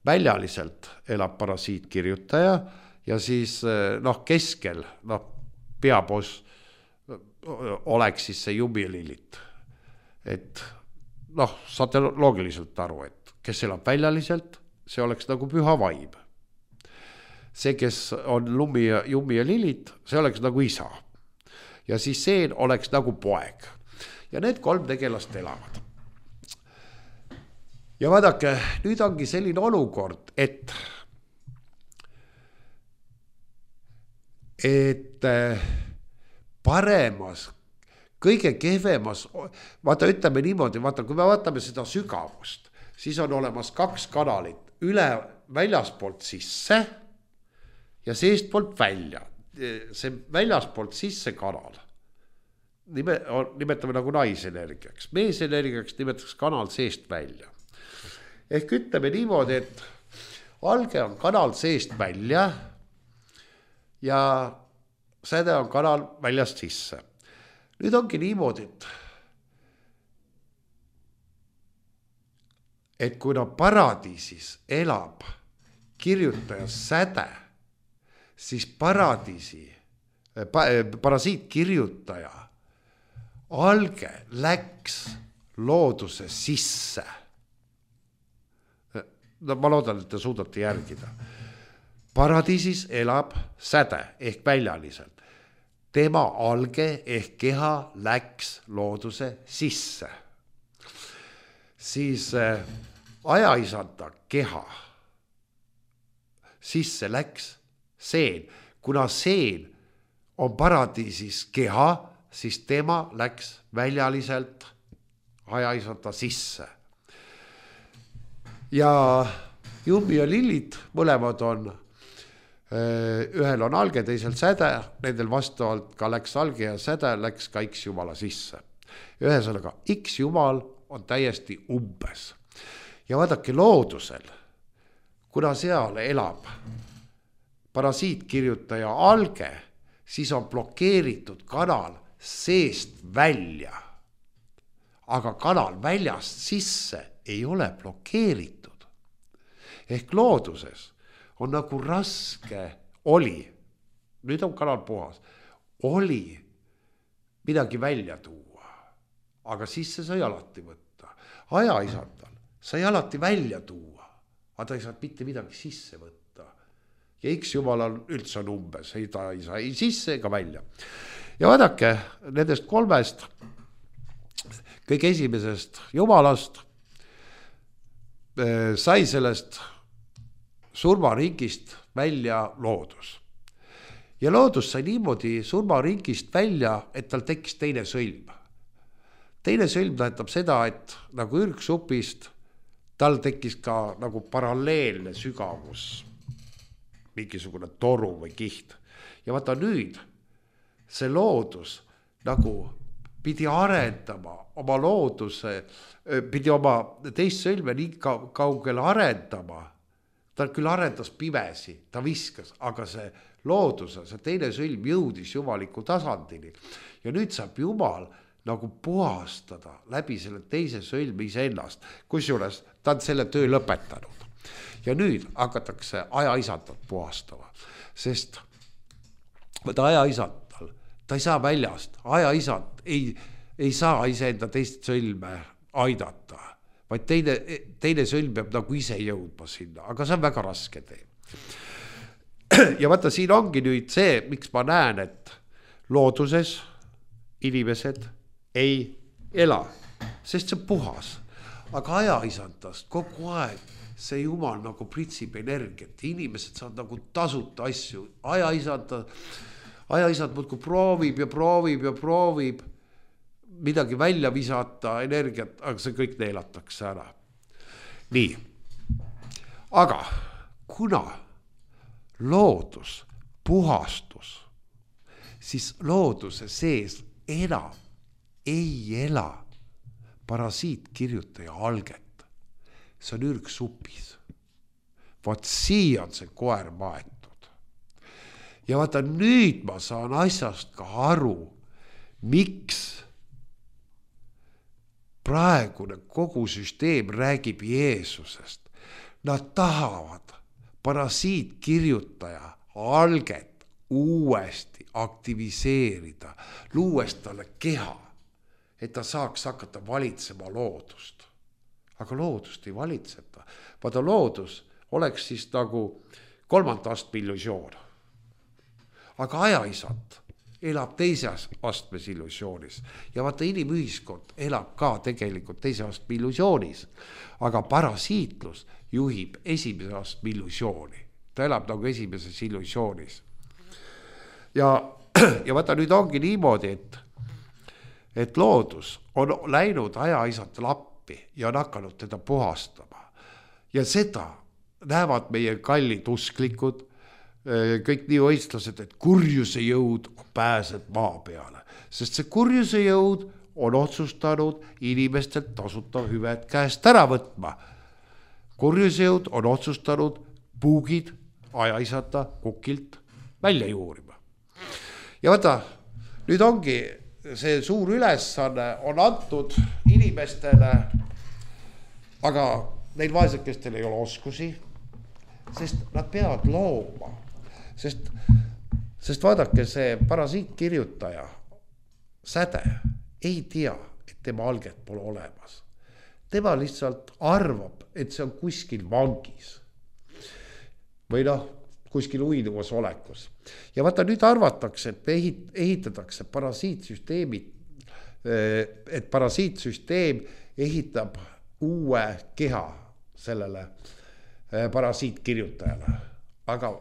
väljaliselt elab parasiitkirjutaja ja siis keskel peaboss oleks siis see Jummi ja Lilit. Et saate loogiliselt aru, et kes elab väljaliselt, see oleks nagu püha vaim. See, kes on Jummi ja Lilit, see oleks nagu isa. Ja siis Seen oleks nagu poeg. Ja need 3 tegelast elavad. Ja vaadake, nüüd ongi selline olukord, et paremas, kõige kehvemas, vaata ütleme niimoodi, vaata kui me vaatame seda sügavust, siis on olemas 2 kanalit, väljaspoolt sisse ja seestpoolt välja. See väljaspoolt sisse kanal nimetame nagu naisenergiaks, meesenergiaks nimetaks kanal seest välja. Ehk ütleme niimoodi, et alge on kanal seest välja ja säde on kanal väljast sisse. Nüüd ongi niimoodi, et kuna paradiisis elab kirjutaja säde, siis parasiitkirjutaja alge läks looduse sisse. Ma loodan, et te suudate järgida. Paradiisis elab säde ehk väljaliselt. Tema alge ehk keha läks looduse sisse. Siis ajaisanda keha sisse läks Seen. Kuna Seen on paradiisis keha, siis tema läks väljaliselt ajaisata sisse. Ja Jummi ja Lillit mõlemad on, ühel on alge, teisel säde, nendel vastavalt ka läks alge ja säde, läks ka X Jumala sisse. Ühesõnaga, X Jumal on täiesti umbes. Ja vaadake loodusel, kuna seal elab parasiitkirjutaja alge, siis on blokeeritud kanal seest välja. Aga kanal väljast sisse ei ole blokeeritud. Ehk looduses on nagu raske oli, nüüd on kanal puhas, oli midagi välja tuua, aga sisse sai alati võtta. Ajaisandal sai alati välja tuua, aga ta ei saa mitte midagi sisse võtta. Ja X Jumalal üldse on umbes, ta ei saa ei sisse ega välja. Ja vaadake, nendest kolmest, kõige esimesest Jumalast sai sellest surmaringist välja loodus. Ja loodus sai niimoodi surmaringist välja, et tal tekkis teine sõlm. Teine sõlm tähendab seda, et nagu ürgsupist tal tekkis ka nagu paralleelne sügavus, mingisugune toru või kiht. Ja vaata nüüd, see loodus nagu pidi arendama oma looduse, pidi oma teist sõlme nii kaugele arendama. Ta küll arendas pimesi, ta viskas, aga see looduse, see teine sõlm jõudis jumaliku tasandini. Ja nüüd saab Jumal nagu puhastada läbi selle teise sõlmi iseennast, kusjuures ta on selle töö lõpetanud. Ja nüüd hakatakse ajaisandat puhastama, sest ajaisandal, ta ei saa väljast, ajaisand ei saa iseenda teist sõlme aidata, vaid teine sõlm peab nagu ise jõudma sinna, aga see on väga raske tee. Ja vaata, siin ongi nüüd see, miks ma näen, et looduses inimesed ei ela, sest see on puhas, aga ajaisandast kogu aeg see Jumal nagu pritsib energiat, inimesed saavad nagu tasuta asju, ajaisand muudkui proovib ja proovib ja proovib midagi välja visata energiat, aga see kõik neelatakse ära. Nii, aga kuna loodus, puhastus, siis looduse sees enam ei ela parasiitkirjutaja alget. See on ürgsupis. Vaat siia on see koer maetud. Ja vaata nüüd ma saan asjast ka aru, miks praegune kogu süsteem räägib Jeesusest. Nad tahavad parasiitkirjutaja alget uuesti aktiviseerida, luues talle keha, et ta saaks hakata valitsema loodust. Aga loodust ei valitseta. Vaata loodus oleks siis nagu 3. astme illusioon. Aga ajaisand elab 2. astmes illusioonis. Ja vaata inimühiskond elab ka tegelikult 2. astme illusioonis. Aga parasiitlus juhib 1. astme illusiooni. Ta elab nagu 1. illusioonis. Ja vaata nüüd ongi niimoodi, et loodus on läinud ajaisandele appi ja on hakanud teda puhastama. Ja seda näevad meie kallid usklikud, kõik nii õistlased, et kurjuse jõud pääseb maa peale. Sest see kurjuse jõud on otsustanud inimestelt tasuta hüved käest ära võtma. Kurjuse jõud on otsustanud puugid ajaisata kukilt välja juurima. Ja vaata, nüüd ongi see suur ülesanne on antud inimestele, aga neil vaesekestel ei ole oskusi, sest nad peavad looma. Sest vaadake, see parasiitkirjutaja säde ei tea, et tema alget pole olemas. Tema lihtsalt arvab, et see on kuskil vangis. Või kuskil uinuvas olekus. Ja vaata nüüd arvatakse, et ehitatakse parasiitsüsteemi, et parasiitsüsteem ehitab uue keha sellele parasiitkirjutajale. Aga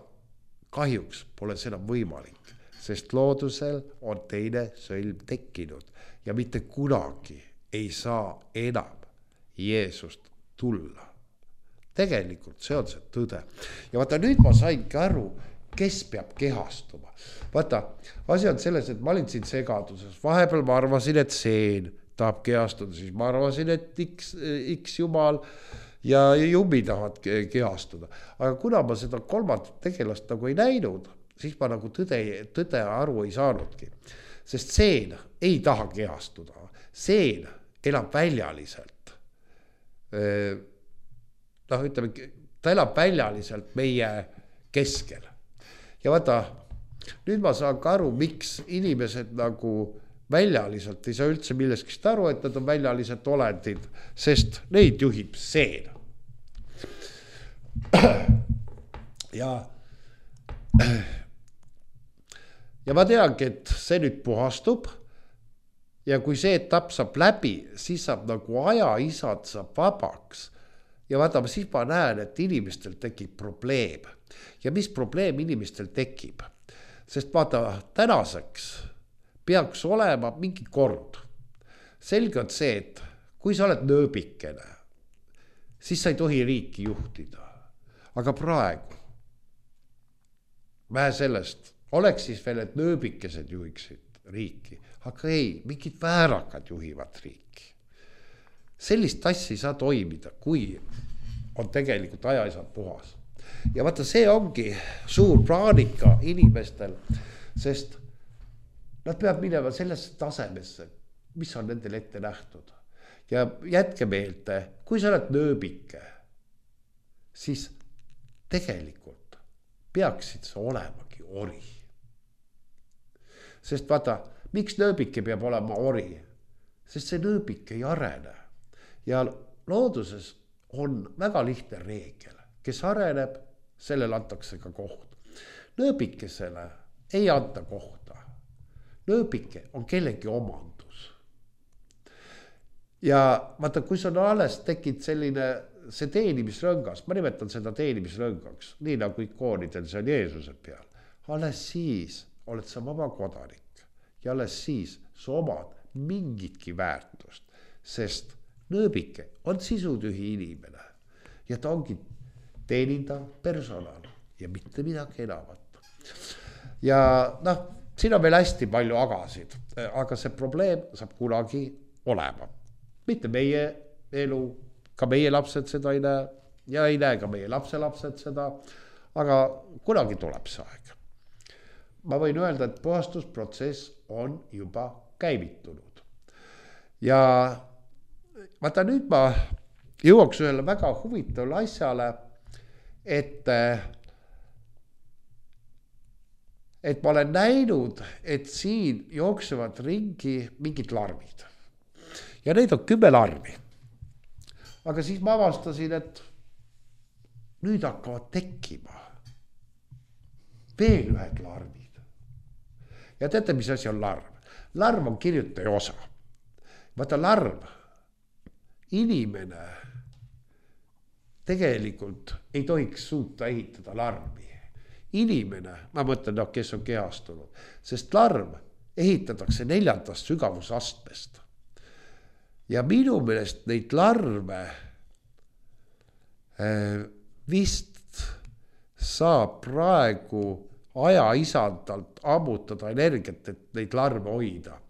kahjuks pole seda võimalik, sest loodusel on teine sõlm tekkinud ja mitte kunagi ei saa enam Jeesust tulla. Tegelikult see on see tõde. Ja vaata, nüüd ma saingi aru, kes peab kehastuma. Vaata, asi on selles, et ma olin siin segaduses. Vahepeal ma arvasin, et seen tahab kehastuda, siis ma arvasin, et X jumal ja jummi tahavad kehastuda. Aga kuna ma seda kolmandat tegelast nagu ei näinud, siis ma nagu tõde aru ei saanudki. Sest seen ei taha kehastuda. Seen elab väljaliselt. Ütleme, ta elab väljaliselt meie keskel. Ja vaata, nüüd ma saan ka aru, miks inimesed nagu väljaliselt ei saa üldse milleskist aru, et nad on väljaliselt olendid, sest neid juhib seen. Ja ma teangi, et see nüüd puhastub ja kui see etapp saab läbi, siis saab nagu ajaisad saab vabaks. Ja vaata, siis ma näen, et inimestel tekib probleem. Ja mis probleem inimestel tekib? Sest vaata, tänaseks peaks olema mingi kord. Selge on see, et kui sa oled nööbikene, siis sa ei tohi riiki juhtida. Aga praegu, vähe sellest, oleks siis veel, et nööbikesed juhiksid riiki. Aga ei, mingid väärakad juhivad riiki. Sellist asja ei saa toimida, kui on tegelikult ajaisad puhas. Ja vaata, see ongi suur praanika inimestel, sest nad peavad minema sellesse tasemesse, mis on nendel ette nähtud. Ja jätke meelde, kui sa oled nööbike, siis tegelikult peaksid sa olemagi ori. Sest vaata, miks nööbike peab olema ori? Sest see nööbik ei arene. Ja looduses on väga lihtne reegel. Kes areneb, sellel antakse ka koht. Nööbikesele ei anta kohta. Nööbike on kellegi omandus. Ja vaata, kui sul alles tekib selline see teenimisrõngas, ma nimetan seda teenimisrõngaks, nii nagu ikoonidel see on Jeesuse peal. Alles siis oled sa vaba kodanik ja alles siis sa omad mingitki väärtust, sest nööbike on sisutühi inimene ja ta ongi teenindav personal ja mitte midagi enamat. Ja siin on veel hästi palju agasid, aga see probleem saab kunagi olema. Mitte meie elu, ka meie lapsed seda ei näe ja ei näe ka meie lapselapsed seda, aga kunagi tuleb see aeg. Ma võin öelda, et puhastusprotsess on juba käivitunud. Ja vaata, nüüd ma jõuaks ühele väga huvitavale asjale, et ma olen näinud, et siin jooksevad ringi mingid larvid. Ja neid on 10 larvi. Aga siis ma avastasin, et nüüd hakkavad tekkima veel ühed larvid. Ja teate, mis asi on larv? Larv on kirjutaja osa. Vaata, larv, inimene tegelikult ei tohiks suuta ehitada larvi. Inimene, ma mõtlen, kes on kehastunud, sest larv ehitatakse 4. sügavusastmest. Ja minu meelest neid larve vist saab praegu ajaisandalt ammutada energiat, et neid larve hoida.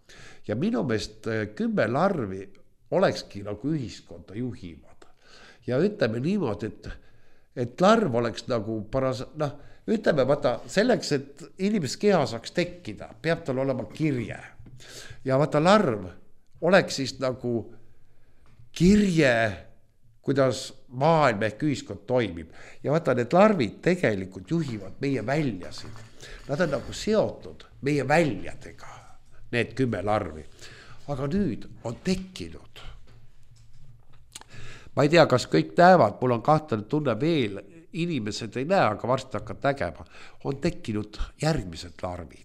Ja minu meelest 10 larvi olekski nagu ühiskonda juhivad. Ja ütleme niimoodi, et larv oleks nagu ütleme, vaata, selleks, et inimese keha saaks tekkida, peab tal olema kirje. Ja vaata, larv oleks siis nagu kirje, kuidas maailm ehk ühiskond toimib. Ja vaata, need larvid tegelikult juhivad meie väljasid. Nad on nagu seotud meie väljadega, need 10 larvi. Aga nüüd on tekkinud. Ma ei tea, kas kõik näevad, mul on kahtlane tunne veel, inimesed ei näe, aga varsti hakkad nägema. On tekkinud järgmised larvid.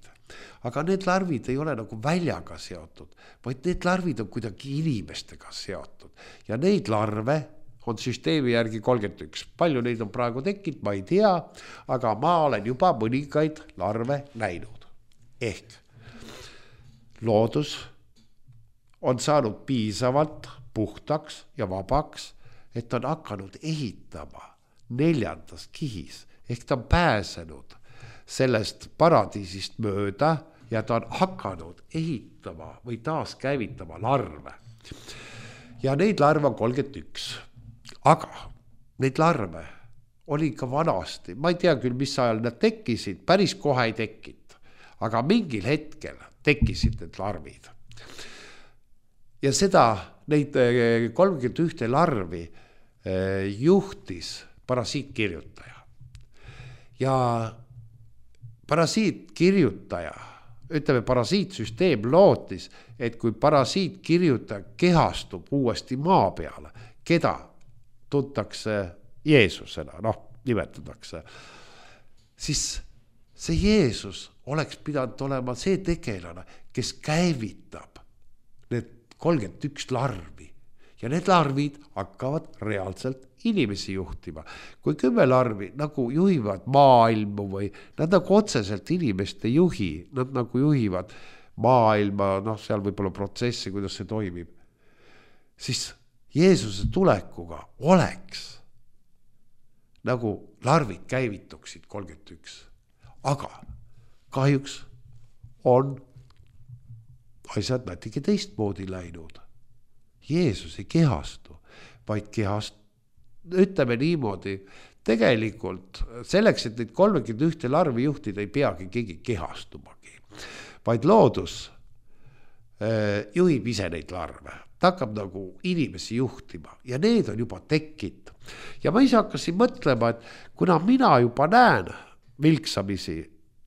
Aga need larvid ei ole nagu väljaga seotud, vaid need larvid on kuidagi inimestega seotud. Ja neid larve on süsteemi järgi 31. Palju neid on praegu tekkinud, ma ei tea, aga ma olen juba mõningaid larve näinud. ehk loodus on saanud piisavalt puhtaks ja vabaks, et on hakanud ehitama 4. kihis, ehk ta on pääsenud sellest paradiisist mööda ja ta on hakanud ehitama või taaskäivitama larve. Ja neid larve on 31, aga neid larve oli ka vanasti, ma ei tea küll, mis ajal nad tekkisid, päris kohe ei tekkinud, aga mingil hetkel tekkisid need larvid. Ja seda, neid 31 larvi juhtis parasiitkirjutaja. Ja parasiitkirjutaja, ütleme parasiitsüsteem lootis, et kui parasiitkirjutaja kehastub uuesti maa peale, keda tuntakse Jeesusena, nimetatakse, siis see Jeesus oleks pidanud olema see tegelane, kes käivitab need 31 larvi ja need larvid hakkavad reaalselt inimesi juhtima. Kui 10 larvi nagu juhivad maailmu või nad nagu otseselt inimest ei juhi, nad nagu juhivad maailma, seal võib-olla protsessi, kuidas see toimib, siis Jeesuse tulekuga oleks nagu larvid käivituksid 31. Aga kahjuks on asjad natuke teistmoodi läinud. Jeesus ei kehastu, vaid ütleme niimoodi, tegelikult selleks, et neid 31 larvi juhtida, ei peagi keegi kehastumagi, vaid loodus juhib ise neid larve. Ta hakkab nagu inimesi juhtima ja need on juba tekkinud. Ja ma ise hakkasin mõtlema, et kuna mina juba näen vilksamisi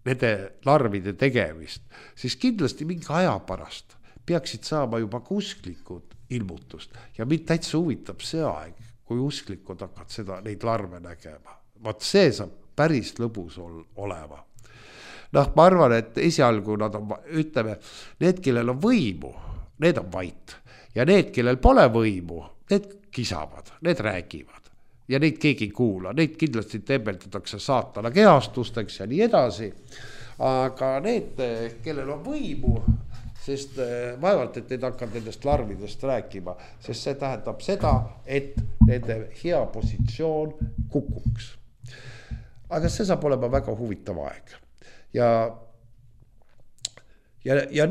nende larvide tegemist, siis kindlasti mingi aja pärast peaksid saama juba ka usklikud ilmutust. Ja mind täitsa huvitab see aeg, kui usklikud hakkavad neid larve nägema. Vaat see saab päris lõbus olema. Ma arvan, et esialgu nad on, ütleme, need, kellel on võimu, need on vait. Ja need, kellel pole võimu, need kisavad, need räägivad. Ja neid keegi ei kuula, neid kindlasti tembeldatakse saatana kehastusteks ja nii edasi. Aga need, kellel on võimu, sest vaevalt, et need hakkavad nendest larvidest rääkima, sest see tähendab seda, et nende hea positsioon kukuks. Aga see saab olema väga huvitav aeg. Ja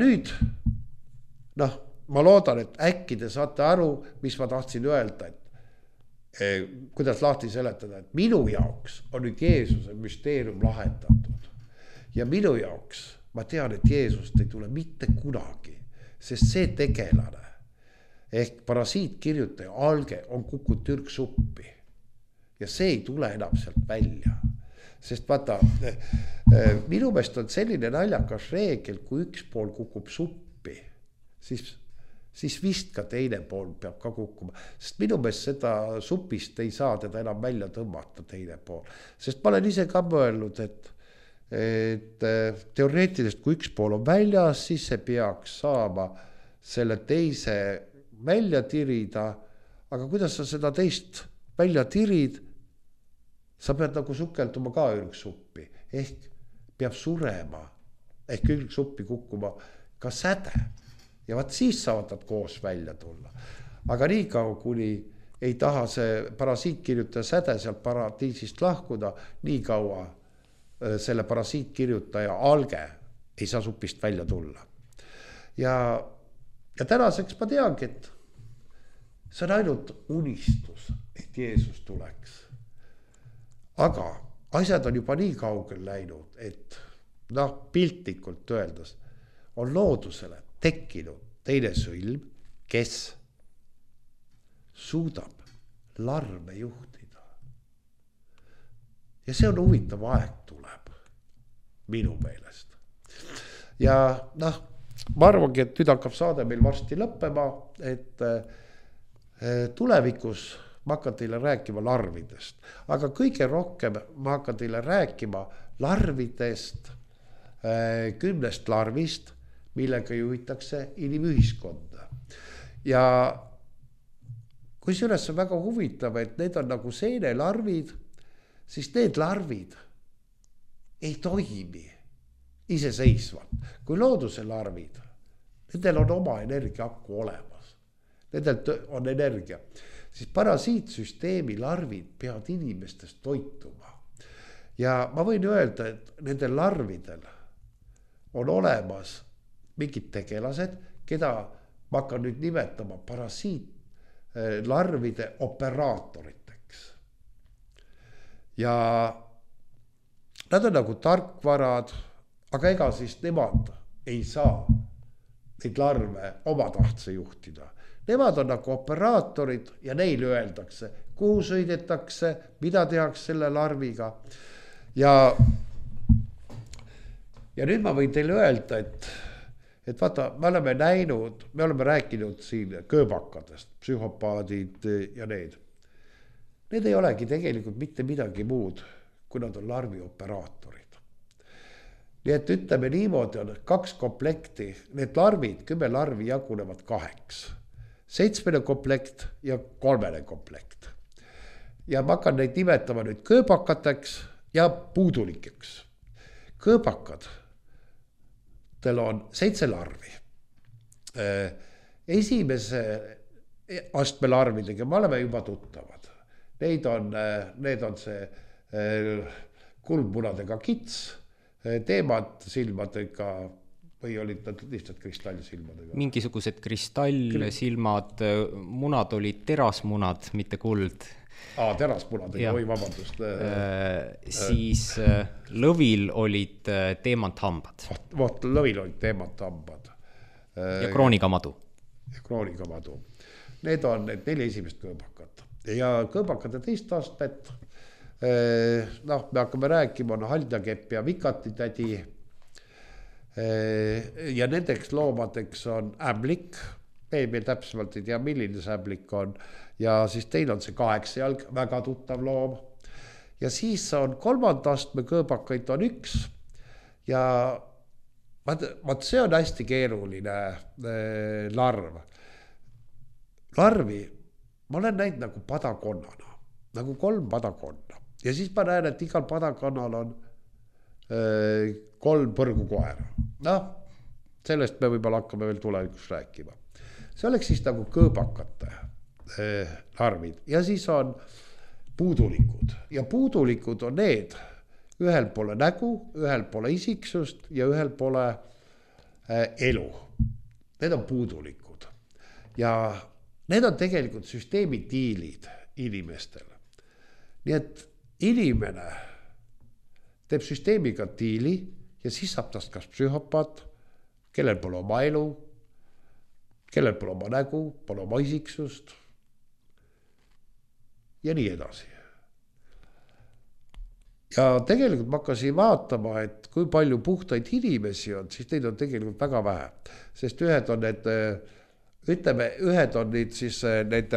nüüd, ma loodan, et äkki te saate aru, mis ma tahtsin öelda, et kuidas lahti seletada, et minu jaoks on nüüd Jeesuse müsteerium lahendatud. Ja minu jaoks ma tean, et Jeesust ei tule mitte kunagi, sest see tegelane ehk parasiitkirjutaja alge on kukkunud türksuppi ja see ei tule enam sealt välja. Sest vaata, minu meelest on selline naljakas reegel, kui üks pool kukub suppi, siis vist ka teine pool peab ka kukkuma. Sest minu meelest seda supist ei saa teda enam välja tõmmata teine pool. Sest ma olen ise ka mõelnud, et teoreetiliselt, kui üks pool on väljas, siis see peaks saama selle teise välja tirida. Aga kuidas sa seda teist välja tirid? Sa pead nagu sukelduma ka ürgsuppi, ehk peab surema, ehk ürgsuppi kukkuma ka säde. Ja vaat siis saavad nad koos välja tulla. Aga nii kaua, kuni ei taha see parasiitkirjutaja säde sealt paradiisist lahkuda, nii kaua selle parasiitkirjutaja alge ei saa supist välja tulla. Ja tänaseks ma teangi, et see on ainult unistus, et Jeesus tuleks. Aga asjad on juba nii kaugel läinud, et piltlikult öeldes on loodusele tekkinud teine sõlm, kes suudab larve juhtida. Ja see on huvitav aeg tuleb minu meelest. Ja ma arvangi, et nüüd hakkab saade meil varsti lõppema, et tulevikus ma hakkan teile rääkima larvidest, aga kõige rohkem ma hakkan teile rääkima larvidest, 10 larvist, millega juhitakse inimühiskonda. Ja kui selles on väga huvitav, et need on nagu seenelarvid, siis need larvid ei toimi iseseisvalt. Kui looduse larvid, nendel on oma energiaaku olemas. Nendel on energia. Siis parasiitsüsteemi larvid peavad inimestest toituma. Ja ma võin öelda, et nendel larvidel on olemas mingid tegelased, keda ma hakkan nüüd nimetama parasiitlarvide operaatoriteks. Ja nad on nagu tarkvarad, aga ega siis nemad ei saa neid larve omatahtse juhtida. Nemad on nagu operaatorid ja neile öeldakse, kuhu sõidetakse, mida tehakse selle larviga. Ja nüüd ma võin teile öelda, et vaata, me oleme näinud, me oleme rääkinud siin kööbakadest, psühhopaadid ja need. Need ei olegi tegelikult mitte midagi muud, kui nad on larvioperaatorid. Nii et ütleme niimoodi on 2 komplekti, need larvid, 10 larvi jagunevad 2. 7 komplekt ja 3 komplekt. Ja ma hakkan neid nimetama nüüd kööbakateks ja puudulikeks. Kööbakad, teil on 7 larvi. Esimese astme larvidega me oleme juba tuttavad. Need on see kuldmunadega kits, teemad silmadega või olid nad lihtsalt kristallsilmadega? Mingisugused kristallsilmad, munad olid terasmunad, mitte kuld. Terasmunadega, või vabandust. Siis lõvil olid teemanthambad. Vot, lõvil olid teemanthambad. Ja kroonikamadu. Need on need 4 esimest kööbakat. Ja kööbakate teist astmet, me hakkame rääkima, on haljakepp ja vikatitädi. Ja nendeks loomadeks on ämblik, meil täpsemalt ei tea, milline see ämblik on, ja siis teil on see 8 jalg, väga tuttav loom. Ja siis on 3. astme kööbakaid on 1 ja see on hästi keeruline larv. Larvi ma olen näinud nagu padakonnana, nagu 3 padakonna. Ja siis ma näen, et igal padakonnal on 3 põrgukoera. Sellest me võib-olla hakkame veel tulevikus rääkima. See oleks siis nagu kööbakate larvid. Ja siis on puudulikud. Ja puudulikud on need, ühel poole nägu, ühel poole isiksust ja ühel poole elu. Need on puudulikud. Ja need on tegelikult süsteemi diilid inimestel. Nii et inimene teeb süsteemiga diili ja siis saab tast kas psühhopaat, kellel pole oma elu, kellel pole oma nägu, pole oma isiksust ja nii edasi. Ja tegelikult ma hakkasin vaatama, et kui palju puhtaid inimesi on, siis neid on tegelikult väga vähe. Sest ühed on need, ühed on need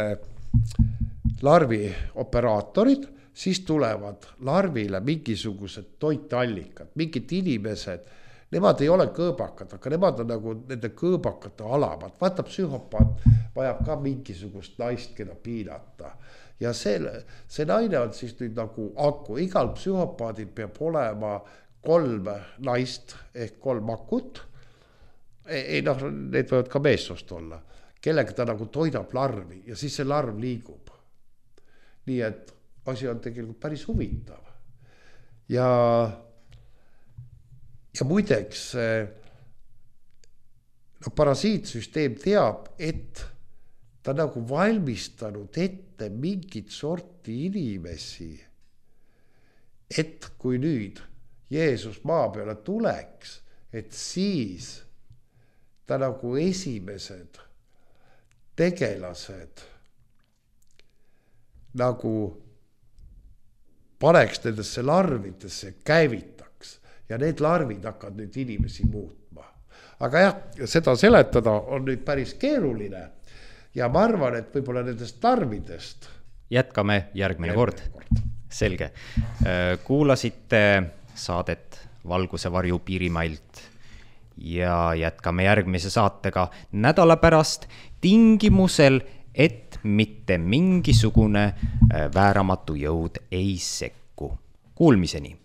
larvi operaatorid, siis tulevad larvile mingisugused toitallikad, mingid inimesed, nemad ei ole kõõbakad, aga nemad on nagu nende kõõbakate alamad. Vaata, psühhopaat vajab ka mingisugust naist, keda piinata. Ja see naine on siis nüüd nagu aku. Igal psühhopaadil peab olema 3 naist ehk 3 akut. Need võivad ka meessoost olla, kellega ta nagu toidab larvi ja siis see larv liigub. Nii et asi on tegelikult päris huvitav. Ja muideks parasiitsüsteem teab, et ta nagu valmistanud ette mingit sorti inimesi, et kui nüüd Jeesus maa peale tuleks, et siis ta nagu esimesed tegelased nagu paneks nendesse larvidesse, käivitaks ja need larvid hakkavad nüüd inimesi muutma. Aga jah, seda seletada on nüüd päris keeruline ja ma arvan, et võib-olla nendest larvidest jätkame järgmine kord. Selge. Kuulasite saadet Valguse varju Piirimailt ja jätkame järgmise saatega nädala pärast tingimusel, et mitte mingisugune vääramatu jõud ei sekku. Kuulmiseni!